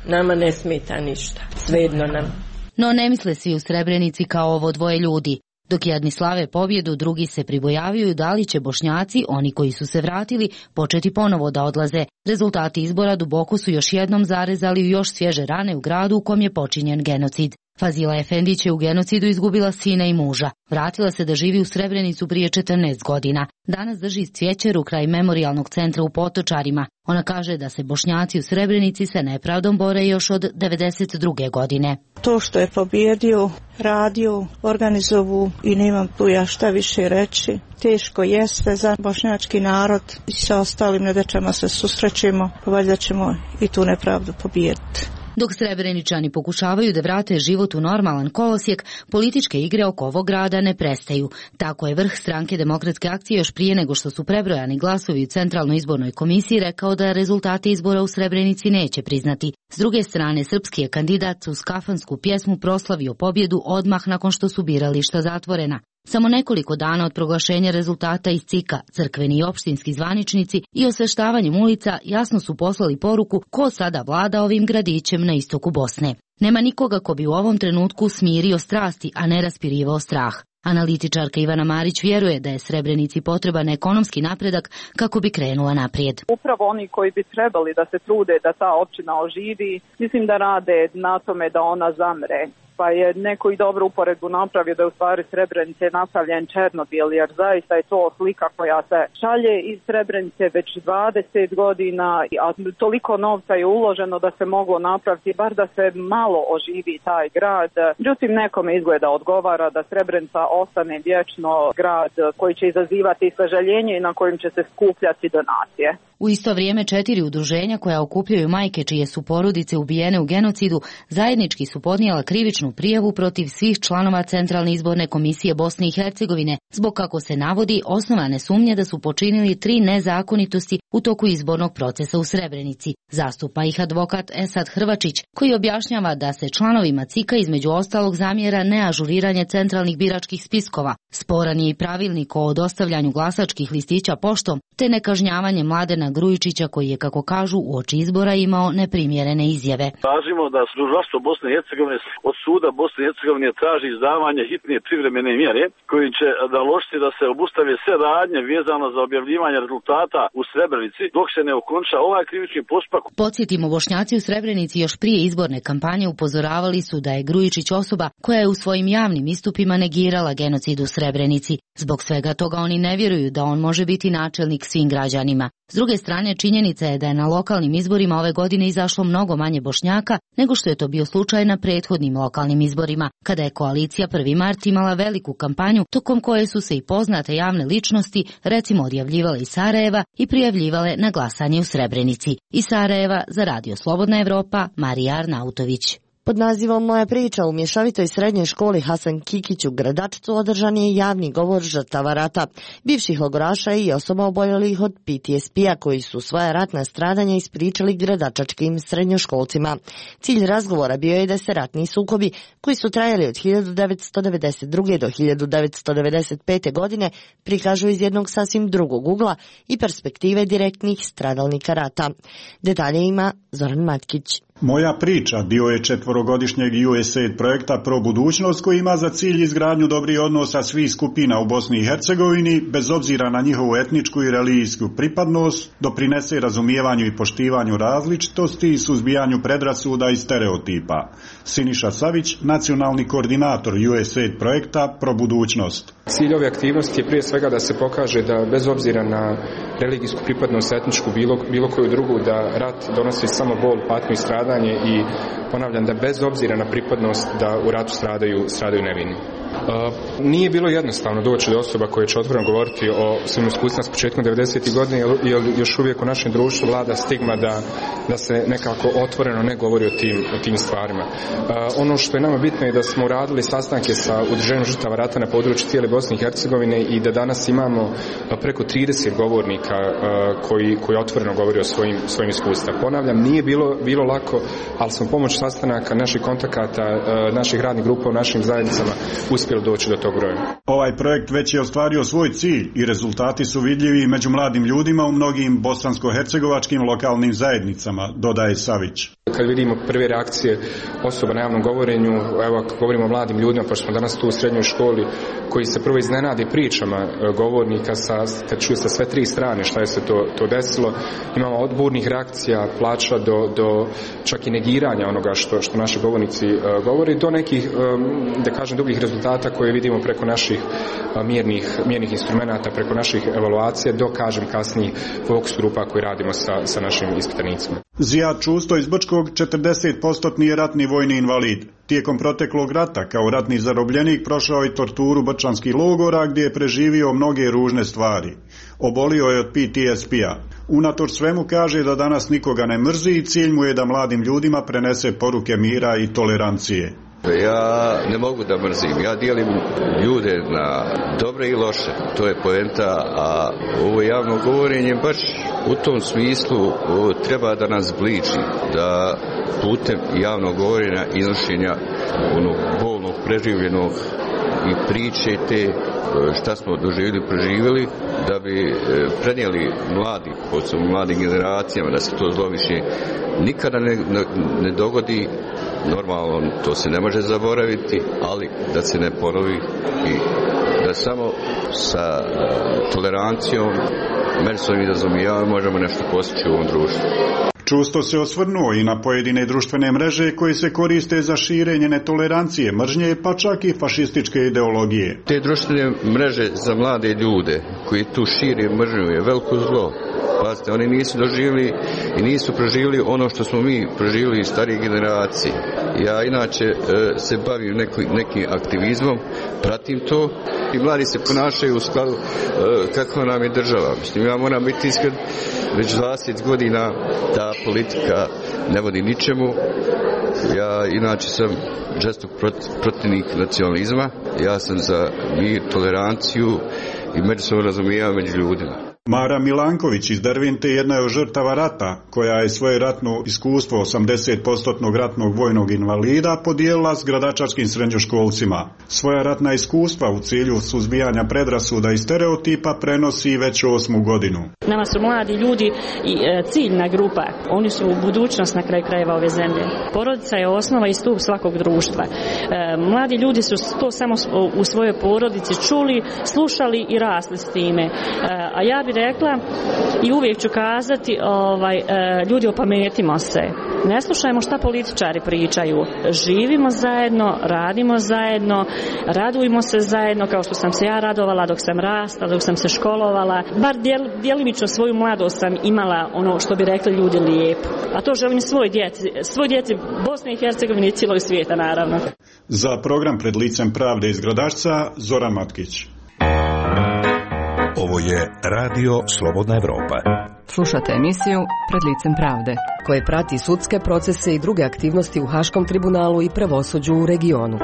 nama ne smeta ništa, svejedno nam.
No ne misle svi u Srebrenici kao ovo dvoje ljudi. Dok jedni slave pobjedu, drugi se pribojavaju da li će Bošnjaci, oni koji su se vratili, početi ponovo da odlaze. Rezultati izbora duboko su još jednom zarezali u još svježe rane u gradu u kom je počinjen genocid. Fazila Efendić je u genocidu izgubila sina i muža. Vratila se da živi u Srebrenicu prije 14 godina. Danas drži cvjećeru kraj memorijalnog centra u Potočarima. Ona kaže da se Bošnjaci u Srebrenici sa nepravdom bore još od 92. godine.
To što je pobjedio, radio, organizovu i nemam tu ja šta više reći. Teško jeste za bošnjački narod i sa ostalim nedaćama se susrećemo, valjda ćemo i tu nepravdu pobijediti.
Dok Srebreničani pokušavaju da vrate život u normalan kolosijek, političke igre oko ovog grada ne prestaju. Tako je vrh stranke Demokratske akcije još prije nego što su prebrojani glasovi u Centralnoj izbornoj komisiji rekao da rezultate izbora u Srebrenici neće priznati. S druge strane, srpski je kandidat uz kafansku pjesmu proslavio pobjedu odmah nakon što su birališta zatvorena. Samo nekoliko dana od proglašenja rezultata iz CIK-a, crkveni i opštinski zvaničnici i osveštavanjem ulica jasno su poslali poruku ko sada vlada ovim gradićem na istoku Bosne. Nema nikoga ko bi u ovom trenutku smirio strasti, a ne raspirivao strah. Analitičarka Ivana Marić vjeruje da je Srebrenici potreban ekonomski napredak kako bi krenula naprijed.
Upravo oni koji bi trebali da se trude da ta općina oživi, mislim da rade na tome da ona zamre. pa je neko i dobro uporedbu napravio da je u stvari Srebrenice napravljen Černobil, jer zaista je to slika koja se šalje iz Srebrenice već 20 godina, a toliko novca je uloženo da se moglo napraviti, bar da se malo oživi taj grad. Međutim, nekome izgleda odgovara da Srebrenica ostane vječno grad koji će izazivati sažaljenje i na kojim će se skupljati donacije.
U isto vrijeme 4 udruženja koja okupljaju majke čije su porodice ubijene u genocidu zajednički su podnijela krivičnu prijavu protiv svih članova Centralne izborne komisije Bosne i Hercegovine zbog, kako se navodi, osnovane sumnje da su počinili 3 nezakonitosti u toku izbornog procesa u Srebrenici. Zastupa ih advokat Esad Hrvačić, koji objašnjava da se članovima CIK-a između ostalog zamjera neažuriranje centralnih biračkih spiskova, sporan je i pravilnik o dostavljanju glasačkih listića poštom, te nekažnjavanje Mladena Grujičića koji je, kako kažu, uoči izbora imao neprimjerene izjave.
Tražimo da tužilaštvo Bosne i Hercegovine od suda Bosne i Hercegovine traži izdavanje hitne privremene mjere kojim će naložiti da se obustave sve radnje vezano za objavljivanje rezultata u Srebrenici dok se ne okonča ovaj krivični postupak.
Podsjetimo, Bošnjaci u Srebrenici još prije izborne kampanje upozoravali su da je Grujičić osoba koja je u svojim javnim istupima negirala genocid u Srebrenici. Zbog svega toga oni ne vjeruju da on može biti načelnik svim građanima. S druge strane, činjenica je da je na lokalnim izborima ove godine izašlo mnogo manje Bošnjaka nego što je to bio slučaj na prethodnim lokalnim izborima, kada je koalicija 1. mart imala veliku kampanju tokom koje su se i poznate javne ličnosti, recimo, odjavljivale iz Sarajeva i prijavljivale na glasanje u Srebrenici. Iz Sarajeva za Radio Slobodna Evropa, Marija Arnautović.
Pod nazivom Moja priča u mješovitoj srednjoj školi Hasan Kikić u Gradačcu održan je javni govor žrtava rata, bivših logoraša i osoba oboljelih od PTSP-a koji su svoja ratna stradanja ispričali gradačačkim srednjoškolcima. Cilj razgovora bio je da se ratni sukobi, koji su trajali od 1992. do 1995. godine, prikažu iz jednog sasvim drugog ugla i perspektive direktnih stradalnika rata. Detalje ima Zoran Matkić.
Moja priča bio je 4-godišnjeg USAID projekta Pro budućnost koji ima za cilj izgradnju dobrih odnosa svih skupina u Bosni i Hercegovini, bez obzira na njihovu etničku i religijsku pripadnost, doprinese razumijevanju i poštivanju različitosti i suzbijanju predrasuda i stereotipa. Siniša Savić, nacionalni koordinator USAID projekta Pro budućnost.
Cilj ove aktivnosti je prije svega da se pokaže da bez obzira na religijsku pripadnost, etničku, bilo koju drugu, da rat donosi samo bol, patnju i stradanje i ponavljam da bez obzira na pripadnost da u ratu stradaju nevini. Nije bilo jednostavno doći do osoba koje će otvoreno govoriti o svojim iskustvima s početkom 90. godine, jer još uvijek u našem društvu vlada stigma da se nekako otvoreno ne govori o tim stvarima. Ono što je nama bitno je da smo radili sastanke sa udruženjem žrtava rata na području cijele Bosne i Hercegovine i da danas imamo preko 30 govornika koji otvoreno govori o svojim iskustvima. Ponavljam, nije bilo lako, ali smo pomoć sastanaka, naših kontakata, naših radnih grupa u našim zajednicama uspjeli doći do tog broja.
Ovaj projekt već je ostvario svoj cilj i rezultati su vidljivi među mladim ljudima u mnogim bosansko-hercegovačkim lokalnim zajednicama, dodaje Savić.
Kad vidimo prve reakcije osoba na javnom govorenju, evo ako govorimo o mladim ljudima, pošto smo danas tu u srednjoj školi, koji se prvo iznenadi pričama govornika kad čuje sa sve 3 strane šta je se to desilo, imamo od burnih reakcija, plača do čak i negiranja onoga što naši govornici govori, do nekih, da kažem, drugih rezultata koje vidimo preko naših mjernih instrumenata, preko naših evaluacija, do, kažem, kasnijih fokus grupa koje radimo sa našim ispitanicima.
Zijad Čusto iz Brčkog 40% je ratni vojni invalid. Tijekom proteklog rata kao ratni zarobljenik prošao je torturu brčanskih logora gdje je preživio mnoge ružne stvari. Obolio je od PTSP-a. Unatoč svemu kaže da danas nikoga ne mrzi i cilj mu je da mladim ljudima prenese poruke mira i tolerancije.
Ja ne mogu da mrzim, ja dijelim ljude na dobre i loše, to je poenta, a ovo javno govorenje baš u tom smislu treba da nas zbliži, da putem javnog govorenja, iznošenja onog bolnog, preživljenog i priče te šta smo doživjeli, preživjeli, da bi prenijeli mladi, posebno mladim generacijama, da se to zlo više nikada ne dogodi. Normalno, to se ne može zaboraviti, ali da se ne ponovi i da samo sa tolerancijom, međusobnim razumijevanjem možemo nešto postići u ovom društvu.
Čusto se osvrnuo i na pojedine društvene mreže koje se koriste za širenje netolerancije, mržnje, pa čak i fašističke ideologije.
Te društvene mreže za mlade ljude koji tu šire mržnju je veliko zlo. Pazite, oni nisu doživjeli i nisu proživjeli ono što smo mi proživjeli iz starije generacije. Ja inače se bavim nekim aktivizmom, pratim to i mladi se ponašaju u skladu kako nam je država. Mislim, ja moram biti iskren, već 20 godina ta politika ne vodi ničemu. Ja inače sam žestok protivnik nacionalizma. Ja sam za mir, toleranciju i međusobno razumijevanje među ljudima.
Mara Milanković iz Dervente jedna je od žrtava rata, koja je svoje ratno iskustvo 80% ratnog vojnog invalida podijelila s gradačačkim srednjoškolcima. Svoja ratna iskustva u cilju suzbijanja predrasuda i stereotipa prenosi već 8. godinu.
Nama su mladi ljudi i ciljna grupa. Oni su budućnost na kraju krajeva ove zemlje. Porodica je osnova i stup svakog društva. Mladi ljudi su to samo u svojoj porodici čuli, slušali i rasli s time. A ja bih rekla i uvijek ću kazati, ljudi, opametimo se. Ne slušajmo šta političari pričaju. Živimo zajedno, radimo zajedno, radujmo se zajedno kao što sam se ja radovala dok sam rastala, dok sam se školovala. Bar djelimično svoju mladost sam imala ono što bi rekli ljudi lijepo. A to želim svoj djeci Bosne i Hercegovine i cijelog svijeta naravno.
Za program Pred licem pravde iz Gradačca, Zoran Matkić.
Ovo je Radio Slobodna Evropa.
Slušate emisiju Pred licem pravde, koje prati sudske procese i druge aktivnosti u Haškom tribunalu i pravosuđu u regionu.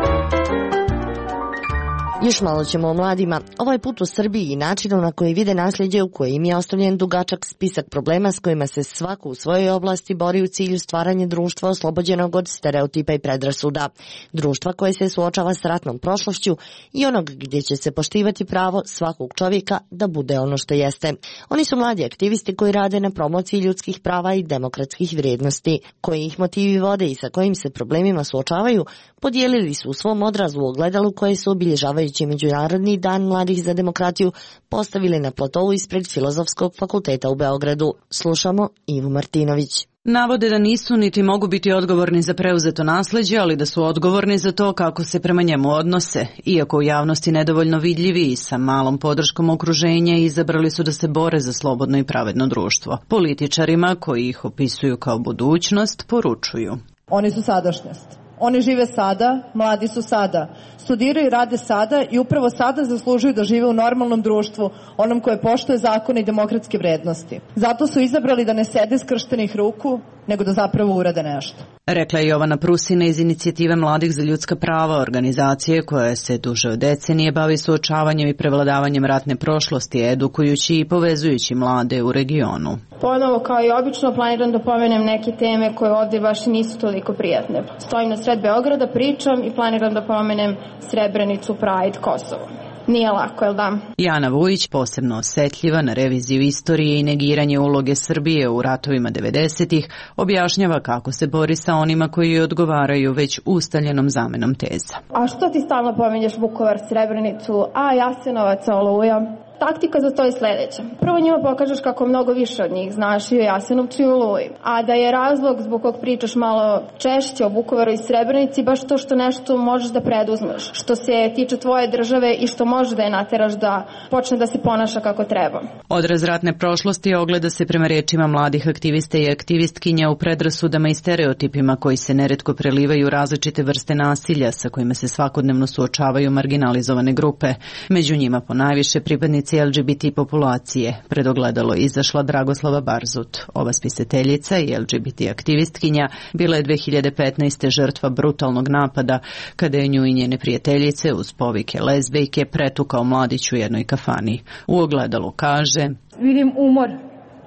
Još malo ćemo o mladima, ovaj put u Srbiji i načinu na koji vide nasljeđe u kojim je ostavljen dugačak spisak problema s kojima se svako u svojoj oblasti bori u cilju stvaranja društva oslobođenog od stereotipa i predrasuda. Društva koje se suočava s ratnom prošlošću i onog gdje će se poštivati pravo svakog čovjeka da bude ono što jeste. Oni su mladi aktivisti koji rade na promociji ljudskih prava i demokratskih vrijednosti, koji ih motivi vode i sa kojim se problemima suočavaju, podijelili su u svom odrazu u ogledalu koje su obilježavajući Međunarodni dan mladih za demokratiju postavili na platovu ispred Filozofskog fakulteta u Beogradu. Slušamo Ivu Martinović.
Navode da nisu niti mogu biti odgovorni za preuzeto nasleđe, ali da su odgovorni za to kako se prema njemu odnose. Iako u javnosti nedovoljno vidljivi i sa malom podrškom okruženja, izabrali su da se bore za slobodno i pravedno društvo. Političarima, koji ih opisuju kao budućnost, poručuju.
Oni su sadašnjost. Oni žive sada, mladi su sada, studiraju i rade sada i upravo sada zaslužuju da žive u normalnom društvu, onom koje poštuje zakone i demokratske vrednosti. Zato su izabrali da ne sede skrštenih ruku, nego da zapravo urade nešto.
Rekla je Jovana Prusina iz Inicijative mladih za ljudska prava, organizacije koja se duže od decenije bavi suočavanjem i prevladavanjem ratne prošlosti, edukujući i povezujući mlade u regionu.
Ponovo, kao i obično, planiram da pomenem neke teme koje ovdje baš nisu toliko prijatne. Stojim na sred Beograda, pričam i planiram da pomenem Srebrenicu, Pride, Kosovo. Nije lako, jel da?
Jana Vujić, posebno osjetljiva na reviziju istorije i negiranje uloge Srbije u ratovima 90-ih, objašnjava kako se bori sa onima koji odgovaraju već ustaljenom zamenom teza.
A što ti stalno pominješ Vukovar, Srebrenicu, Jasenovac, Oluja? Taktika za to je sljedeća. Prvo njima pokažeš kako mnogo više od njih znaš i o Jasenovcu i Oluji. A da je razlog zbog kog pričaš malo češće o Vukovaru i Srebrenici baš to što nešto možeš da preduzmeš, što se tiče tvoje države i što može da je nateraš da počne da se ponaša kako treba.
Odraz ratne prošlosti ogleda se prema rečima mladih aktivista i aktivistkinja u predrasudama i stereotipima koji se neretko prelivaju različite vrste nasilja sa kojima se svakodnevno suočavaju marginalizovane grupe. Među njima ponajviše pripadnici LGBT populacije. Pred ogledalo izašla Dragoslava Barzut. Ova spisateljica i LGBT aktivistkinja bila je 2015. žrtva brutalnog napada kada je nju i njene prijateljice uz povike lezbejke pretukao mladić u jednoj kafani. U ogledalu kaže:
Vidim umor.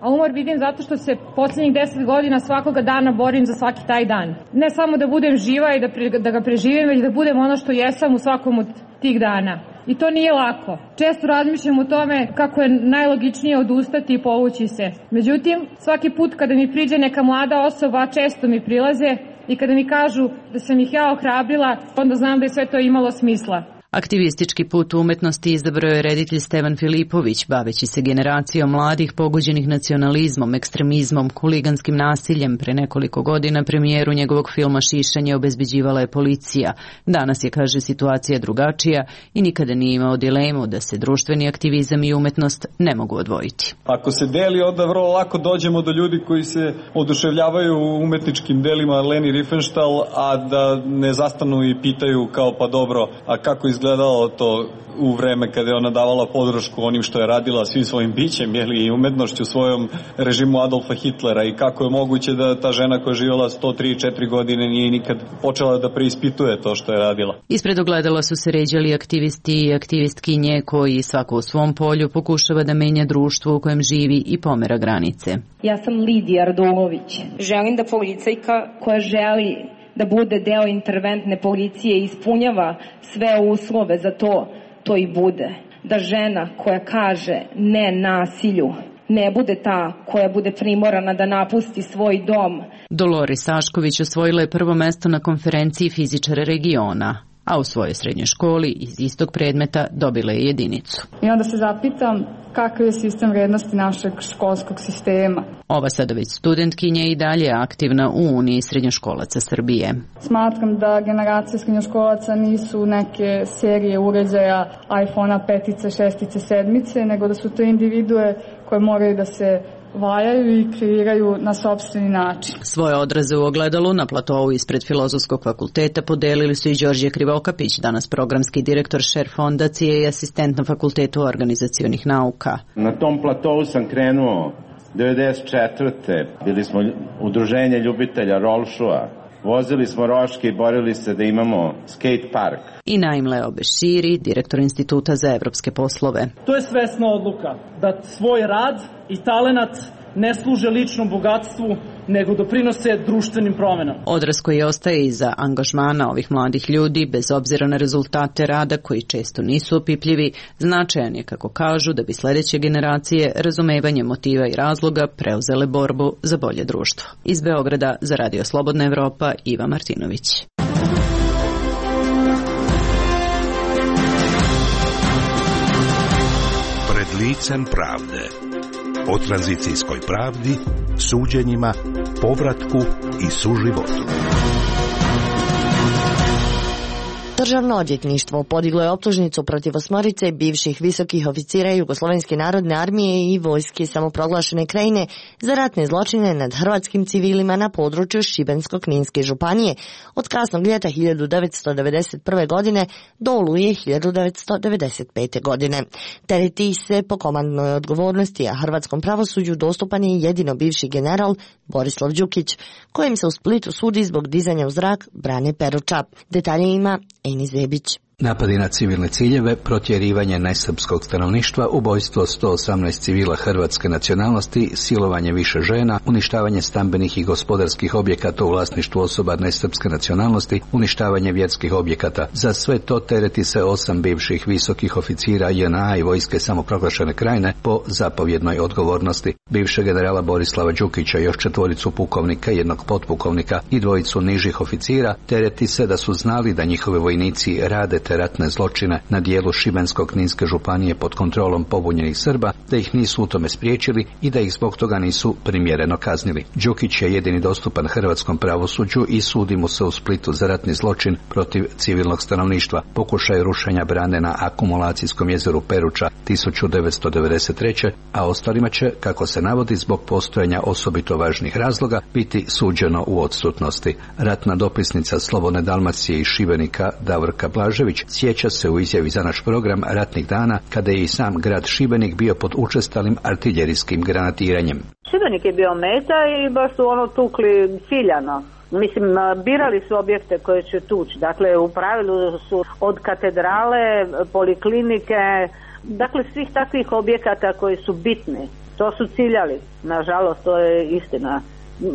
A umor vidim zato što se posljednjih 10 godina svakoga dana borim za svaki taj dan. Ne samo da budem živa i da ga preživim, već da budem ono što jesam u svakom od tih dana. I to nije lako. Često razmišljam o tome kako je najlogičnije odustati i povući se. Međutim, svaki put kada mi priđe neka mlada osoba, često mi prilaze i kada mi kažu da sam ih ja ohrabrila, onda znam da je sve to imalo smisla.
Aktivistički put u umetnosti izabrao je reditelj Stevan Filipović, baveći se generacijom mladih pogođenih nacionalizmom, ekstremizmom, huliganskim nasiljem. Pre nekoliko godina premijeru njegovog filma Šišanje obezbeđivala je policija. Danas je, kaže, situacija drugačija i nikada nije imao dilemu da se društveni aktivizam i umetnost ne mogu odvojiti.
Ako se deli, onda vrlo lako dođemo do ljudi koji se oduševljavaju u umetničkim delima Leni Riefenstahl, a da ne zastanu i pitaju kao pa dobro, a kako izgledalo to u vreme kada je ona davala podršku onim što je radila svim svojim bićem, i umetnošću svojom režimu Adolfa Hitlera, i kako je moguće da ta žena koja je živjela 103-4 godine nije nikad počela da preispituje to što je radila.
Ispred ogledala su se ređali aktivisti i aktivistkinje koji svako u svom polju pokušava da menja društvo u kojem živi i pomera granice.
Ja sam Lidija Radulović. Želim da policajka koja želi da bude deo interventne policije ispunjava sve uslove za to i bude. Da žena koja kaže ne nasilju ne bude ta koja bude primorana da napusti svoj dom.
Dolores Sašković osvojila je prvo mesto na konferenciji fizičara regiona, a u svojoj srednjoj školi iz istog predmeta dobila je jedinicu.
I onda se zapitam kakav je sistem vrednosti našeg školskog sistema.
Ova sada već studentkinja i dalje aktivna u Uniji srednjoškolaca Srbije.
Smatram da generacije srednjoškolaca nisu neke serije uređaja iPhone-a 5, 6, 7, nego da su to individue koje moraju da se valjaju i kreiraju na sopstveni način.
Svoje odraze u ogledalu na platovu ispred Filozofskog fakulteta podelili su i Đorđe Krivokapić, danas programski direktor Šer fondacije i asistent na Fakultetu organizacionih nauka.
Na tom platovu sam krenuo 94. Bili smo udruženje ljubitelja rolšua. Vozili smo roške i borili se da imamo skate park.
I Naim Leo Beširi, direktor Instituta za evropske poslove.
To je svesna odluka da svoj rad i talenat ne služe ličnom bogatstvu, nego doprinose društvenim promenama.
Odraz koji ostaje iza angažmana ovih mladih ljudi, bez obzira na rezultate rada koji često nisu opipljivi, značajan je, kako kažu, da bi sledeće generacije razumevanje motiva i razloga preuzele borbu za bolje društvo. Iz Beograda za Radio Slobodna Evropa, Iva Martinović.
Pred licem pravde. O tranzicijskoj pravdi, suđenjima, povratku i suživotu.
Državno odvjetništvo podiglo je optužnicu protiv 8 bivših visokih oficira Jugoslovenske narodne armije i vojske samoproglašene Krajine za ratne zločine nad hrvatskim civilima na području Šibensko-Kninske županije od kasnog ljeta 1991. godine do oluje 1995. godine. Tereti se po komandnoj odgovornosti, a hrvatskom pravosuđu dostupan je jedino bivši general Borislav Đukić, kojem se u Splitu sudi zbog dizanja u zrak Brane Peruča. Detalje ima Eni Zebić.
Napadi na civilne ciljeve, protjerivanje nesrpskog stanovništva, ubojstvo 118 civila hrvatske nacionalnosti, silovanje više žena, uništavanje stambenih i gospodarskih objekata u vlasništvu osoba nesrpske nacionalnosti, uništavanje vjerskih objekata. Za sve to tereti se 8 bivših visokih oficira JNA i vojske samoproglašene Krajine po zapovjednoj odgovornosti. Bivšeg generala Borislava Đukića, još 4 pukovnika, 1 potpukovnika i 2 nižih oficira tereti se da su znali da njihovi vojnici rade te ratne zločine na dijelu Šibensko-Kninske županije pod kontrolom pobunjenih Srba, da ih nisu u tome spriječili i da ih zbog toga nisu primjereno kaznili. Đukić je jedini dostupan hrvatskom pravosuđu i sudi mu se u Splitu za ratni zločin protiv civilnog stanovništva, pokušaj rušenja brane na akumulacijskom jezeru Peruča 1993. a ostalima će, kako se navodi, zbog postojanja osobito važnih razloga biti suđeno u odsutnosti. Ratna dopisnica Slobodne Dalmacije iz Šibenika Davorka Blažević sjeća se u izjavi za naš program ratnih dana kada je i sam grad Šibenik bio pod učestalim artiljerijskim granatiranjem.
Šibenik je bio meta i baš su tukli ciljano. Mislim, birali su objekte koje će tući. Dakle, u pravilu su od katedrale, poliklinike, dakle svih takvih objekata koji su bitni. To su ciljali. Nažalost, to je istina.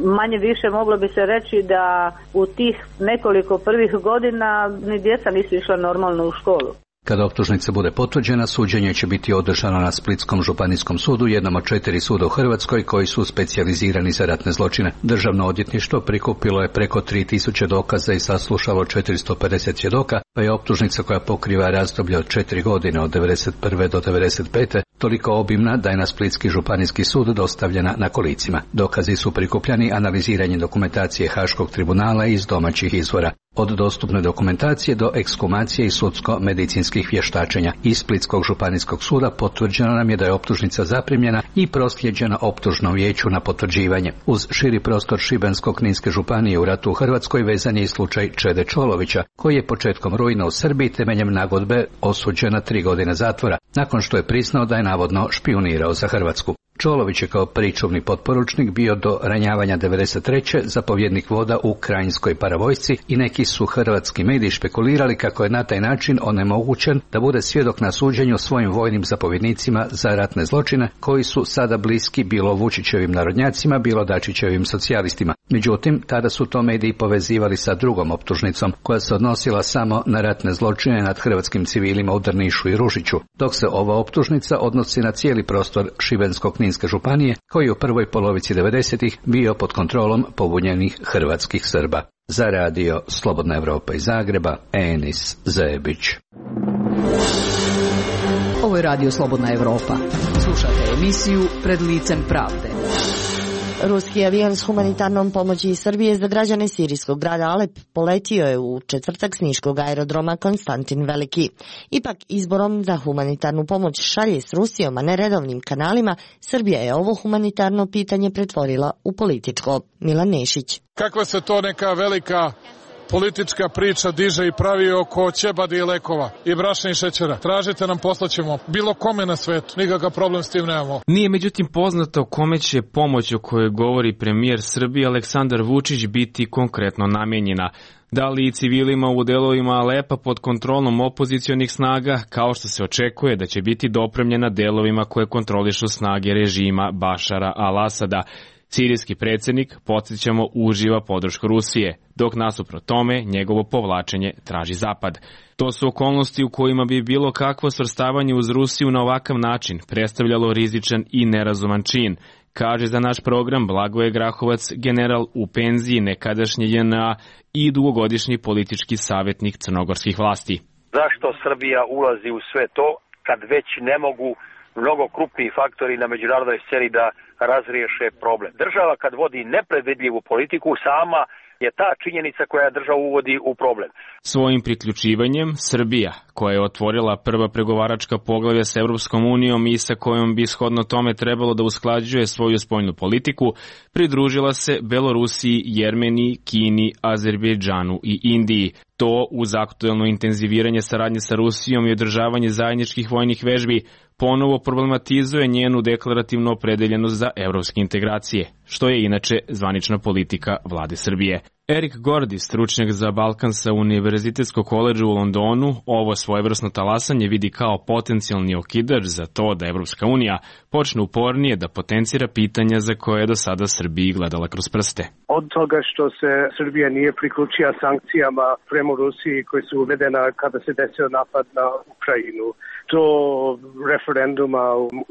Manje više moglo bi se reći da u tih nekoliko prvih godina ni djeca nisu išla normalno u školu.
Kada optužnica bude potvrđena, suđenje će biti održano na Splitskom županijskom sudu, jednom od 4 suda u Hrvatskoj koji su specijalizirani za ratne zločine. Državno odvjetništvo prikupilo je preko 3000 dokaza i saslušalo 450 svjedoka, pa je optužnica koja pokriva razdoblje od 4 godine od 1991. do 1995. toliko obimna da je na Splitski županijski sud dostavljena na kolicima. Dokazi su prikupljani analiziranjem dokumentacije Haškog tribunala iz domaćih izvora. Od dostupne dokumentacije do ekskumacije i sudsko-medicinskih vještačenja. Iz Splitskog županijskog suda potvrđeno nam je da je optužnica zaprimljena i proslijeđena optužnom vijeću na potvrđivanje. Uz širi prostor Šibensko-kninske županije u ratu u Hrvatskoj vezan je i slučaj Čede Čolovića, koji je početkom rujna u Srbiji temeljem nagodbe osuđen na 3 godine zatvora, nakon što je priznao da je navodno špijunirao za Hrvatsku. Čolović je kao pričuvni potporučnik bio do ranjavanja 1993. zapovjednik voda u Krajinskoj paravojsci i neki su hrvatski mediji špekulirali kako je na taj način onemogućen da bude svjedok na suđenju svojim vojnim zapovjednicima za ratne zločine koji su sada bliski bilo Vučićevim narodnjacima, bilo Dačićevim socijalistima. Međutim, tada su to mediji povezivali sa drugom optužnicom koja se odnosila samo na ratne zločine nad hrvatskim civilima u Drnišu i Ružiću, dok se ova optužnica odnosi na cijeli prostor Šibensko-kninske županije koji je u prvoj polovici 90-ih bio pod kontrolom pobunjenih hrvatskih Srba. Za radio Slobodna Evropa iz Zagreba, Enis Zebić.
Ovo je radio Slobodna Evropa. Slušate emisiju Pred licem pravde.
Ruski avion s humanitarnom pomoći iz Srbije za građane sirijskog grada Alep poletio je u četvrtak s niškog aerodroma Konstantin Veliki. Ipak izborom da humanitarnu pomoć šalje s Rusijom, a ne redovnim kanalima, Srbija je ovo humanitarno pitanje pretvorila u političko. Milan Nešić.
Kakva se to neka velika politička priča diže i pravi oko ćebadi i lekova i brašna i šećera. Tražite nam, poslaćemo bilo kome na svetu. Nikakav problem s tim nemamo.
Nije međutim poznato kome će pomoć o kojoj govori premijer Srbije Aleksandar Vučić biti konkretno namenjena. Da li i civilima u delovima Alepa pod kontrolom opozicionih snaga, kao što se očekuje da će biti dopremljena delovima koje kontrolišu snage režima Bašara al-Asada. Sirijski predsjednik, podsjećamo, uživa podršku Rusije, dok nasuprot tome njegovo povlačenje traži Zapad. To su okolnosti u kojima bi bilo kakvo svrstavanje uz Rusiju na ovakav način predstavljalo rizičan i nerazuman čin, kaže za naš program Blagoje Grahovac, general u penziji nekadašnje JNA i dugogodišnji politički savjetnik crnogorskih vlasti.
Zašto Srbija ulazi u sve to kad već ne mogu mnogo krupniji faktori na međunarodnoj sceni da razriješe problem? Država kad vodi nepredvidljivu politiku, sama je ta činjenica koja državu uvodi u problem.
Svojim priključivanjem Srbija, koja je otvorila prva pregovaračka poglavlja s Evropskom unijom i sa kojom bi shodno tome trebalo da usklađuje svoju spoljnu politiku, pridružila se Belorusiji, Jermeniji, Kini, Azerbejdžanu i Indiji. To, uz aktuelno intenziviranje saradnje sa Rusijom i održavanje zajedničkih vojnih vežbi, ponovo problematizuje njenu deklarativnu opredeljenost za evropske integracije, što je inače zvanična politika vlade Srbije. Erik Gordi, stručnjak za Balkan sa Univerzitetskog koledža u Londonu, ovo svojevrsno talasanje vidi kao potencijalni okidač za to da Evropska unija počne upornije da potencira pitanja za koje je do sada Srbiji gledala kroz prste.
Od toga što se Srbija nije priključila sankcijama prema Rusiji koji su uvedena kada se desio napad na Ukrajinu, do referenduma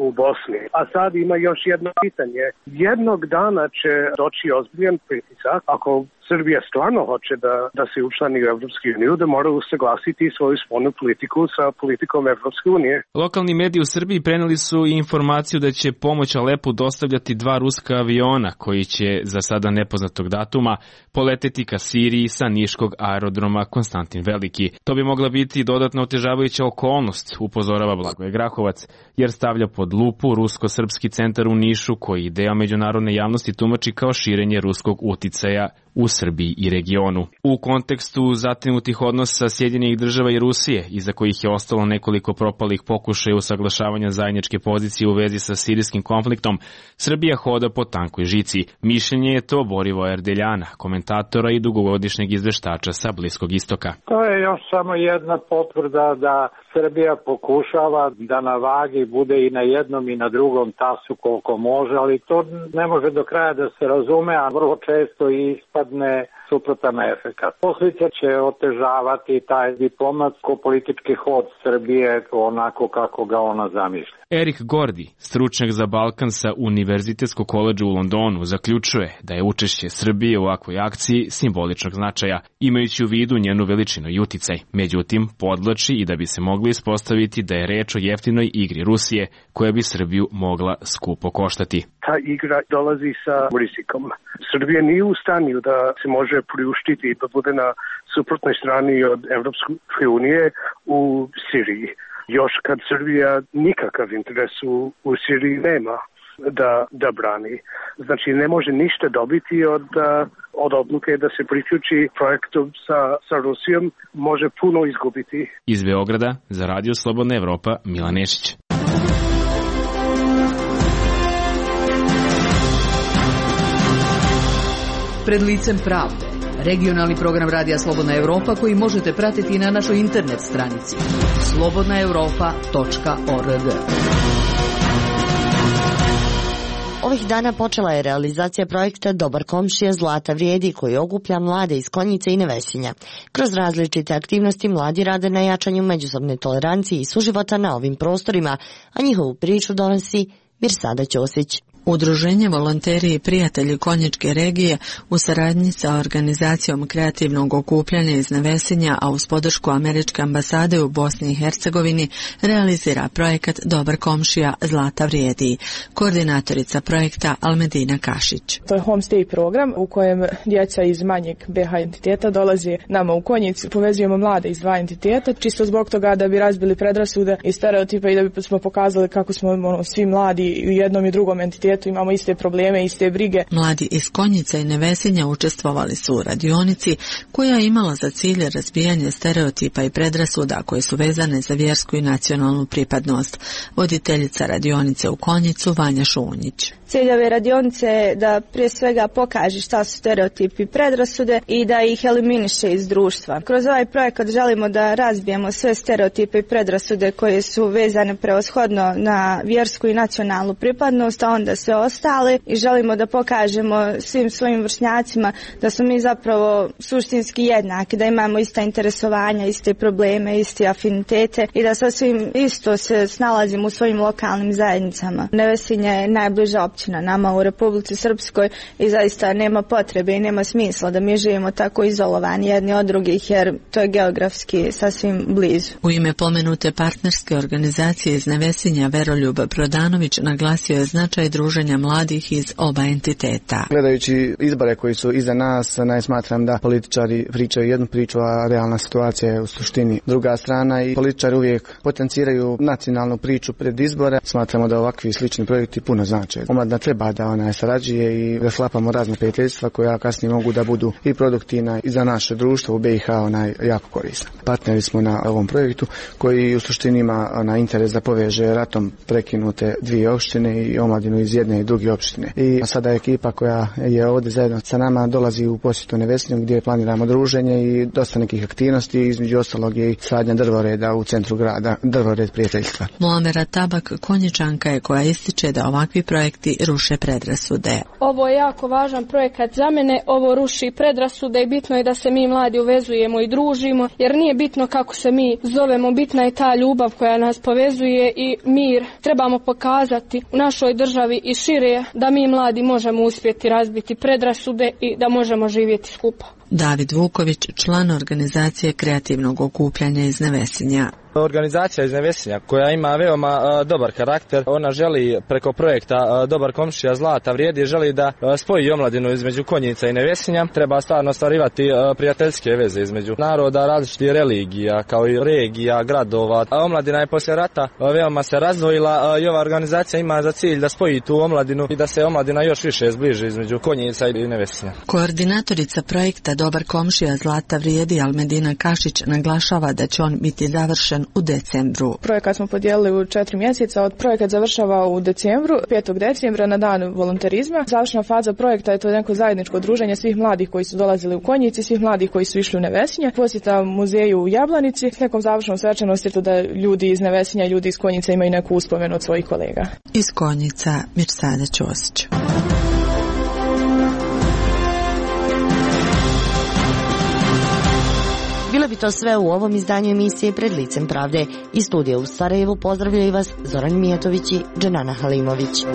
u Bosni. A sad ima još jedno pitanje. Jednog dana će doći ozbiljan pritisak, ako Srbija stvarno hoće da se učlani u Evropsku uniju, da mora usaglasiti svoju spoljnu politiku sa politikom Evropske unije.
Lokalni mediji u Srbiji preneli su i informaciju da će pomoć Alepu dostavljati 2 ruska aviona koji će za sada nepoznatog datuma poleteti ka Siriji sa niškog aerodroma Konstantin Veliki. To bi mogla biti dodatna otežavajuća okolnost, upozorava Blagoje Grahovac, jer stavlja pod lupu rusko-srpski centar u Nišu koji deo međunarodne javnosti tumači kao širenje ruskog uticaja u Srbiji i regionu. U kontekstu zatinutih odnosa Sjedinjenih država i Rusije, iza kojih je ostalo nekoliko propalih pokušaja usaglašavanja zajedničke pozicije u vezi sa sirijskim konfliktom, Srbija hoda po tankoj žici. Mišljenje je to Borivoja Erdeljana, komentatora i dugogodišnjeg izveštača sa Bliskog istoka.
To je još samo jedna potvrda da Srbija pokušava da na vagi bude i na jednom i na drugom tasu koliko može, ali to ne može do kraja da se razume, a vrlo često ispadne suprotan efekat. Posljedice će otežavati taj diplomatsko-politički hod Srbije onako kako ga ona zamišlja.
Erik Gordi, stručnjak za Balkan sa Univerzitetskog koledža u Londonu, zaključuje da je učešće Srbije u ovakvoj akciji simboličnog značaja, imajući u vidu njenu veličinu i uticaj. Međutim, podvlači i da bi se mogli ispostaviti da je reč o jeftinoj igri Rusije, koja bi Srbiju mogla skupo koštati.
Ta igra dolazi sa rizikom. Srbija nije u stanju da se može priuštiti da bude na suprotnoj strani od Evropske unije u Siriji. Još kad Srbija nikakav interes u Siriji nema da brani. Znači ne može ništa dobiti od odluke da se priključi projektu sa Rusijom, može puno izgubiti.
Iz Beograda za Radio Slobodna Evropa, Milan Nešić.
Pred licem pravde. Regionalni program Radija Slobodna Evropa koji možete pratiti i na našoj internet stranici slobodnaevropa.org.
Ovih dana počela je realizacija projekta Dobar komšija Zlata vrijedi koji okuplja mlade iz Konjice i Nevesinja. Kroz različite aktivnosti mladi rade na jačanju međusobne tolerancije i suživota na ovim prostorima, a njihovu priču donosi Mirsada Ćosić.
Udruženje Volonteri i prijatelji Konjičke regije u saradnji sa organizacijom kreativnog okupljanja iz Nevesinja, a uz podršku Američke ambasade u Bosni i Hercegovini, realizira projekat Dobar komšija Zlata vrijedi. Koordinatorica projekta Almedina Kašić.
To je homestay program u kojem djeca iz manjeg BH entiteta dolaze nama u Konjicu. Povezujemo mlade iz dva entiteta, čisto zbog toga da bi razbili predrasude i stereotipe i da bi smo pokazali kako smo svi mladi u jednom i drugom entitetu imamo iste probleme, iste brige.
Mladi iz Konjice i Nevesinja učestvovali su u radionici koja je imala za cilj razbijanje stereotipa i predrasuda koje su vezane za vjersku i nacionalnu pripadnost. Voditeljica radionice u Konjicu Vanja Šunjić.
Cilj ove radionice je da prije svega pokaže šta su stereotipi i predrasude i da ih eliminiše iz društva. Kroz ovaj projekat želimo da razbijemo sve stereotipe i predrasude koje su vezane prevashodno na vjersku i nacionalnu pripadnost, a onda sve ostale, i želimo da pokažemo svim svojim vršnjacima da smo mi zapravo suštinski jednaki, da imamo ista interesovanja, iste probleme, iste afinitete i da sasvim isto se snalazimo u svojim lokalnim zajednicama. Nevesinje je najbliža općina nama u Republici Srpskoj i zaista nema potrebe i nema smisla da mi živimo tako izolovani jedni od drugih, jer to je geografski sasvim blizu.
U ime pomenute partnerske organizacije iz Nevesinja Veroljub Prodanović naglasio je značaj druženja mladih iz oba entiteta.
Gledajući izbore koji su iza nas, smatram da političari pričaju jednu priču, a realna situacija je u suštini druga strana i političari uvijek potenciraju nacionalnu priču pred izbore. Smatramo da ovakvi slični projekti puno znače. Omladina treba da sarađuje i da sklapamo razne prijateljstva koja kasnije mogu da budu i produktivna i za naše društvo u BiH jako korisna. Partneri smo na ovom projektu koji u suštini ima interes da poveže ratom prekinute dvije opštine i omladinu iz jedne i druge opštine. I sada ekipa koja je ovdje zajedno sa nama dolazi u posjetu Nevesinju gdje planiramo druženje i dosta nekih aktivnosti, između ostalog je i sadnja drvoreda u centru grada, drvored prijateljstva.
Muamera Tabak Konjičanka je koja ističe da ovakvi projekti ruše predrasude.
Ovo je jako važan projekat za mene, ovo ruši predrasude i bitno je da se mi mladi uvezujemo i družimo, jer nije bitno kako se mi zovemo, bitna je ta ljubav koja nas povezuje i mir. Trebamo pokazati u našoj državi i šire da mi mladi možemo uspjeti razbiti predrasude i da možemo živjeti skupa.
David Vuković, član organizacije kreativnog okupljanja iz Nevesinja.
Organizacija iz Nevesinja koja ima veoma dobar karakter, ona želi preko projekta Dobar komšija Zlata vrijedi, želi da spoji omladinu između Konjica i Nevesinja. Treba stvarno ostvarivati prijateljske veze između naroda, različitih religija, kao i regija, gradova. Omladina je poslije rata veoma se razdvojila i ova organizacija ima za cilj da spoji tu omladinu i da se omladina još više zbliži između Konjica i Nevesinja.
Koordinatorica projekta Dobar komšija Zlata vrijedi Almedina Kašić naglašava da će on biti završen u decembru.
Projekat smo podijelili u 4 mjeseca. Projekat završava u decembru, 5. decembra na dan volonterizma. Završna faza projekta je to neko zajedničko druženje svih mladih koji su dolazili u Konjici, svih mladih koji su išli u Nevesinje, posjeta muzeju u Jablanici s nekom završnom svečanosti da ljudi iz Nevesinja i ljudi iz Konjice imaju neku uspomenu od svojih kolega.
Iz Konjica Mirsada Ćosić.
bi to sve u ovom izdanju emisije Pred licem pravde. Iz studija u Sarajevu pozdravljaju vas Zoran Mijatović i Dženana Halimović.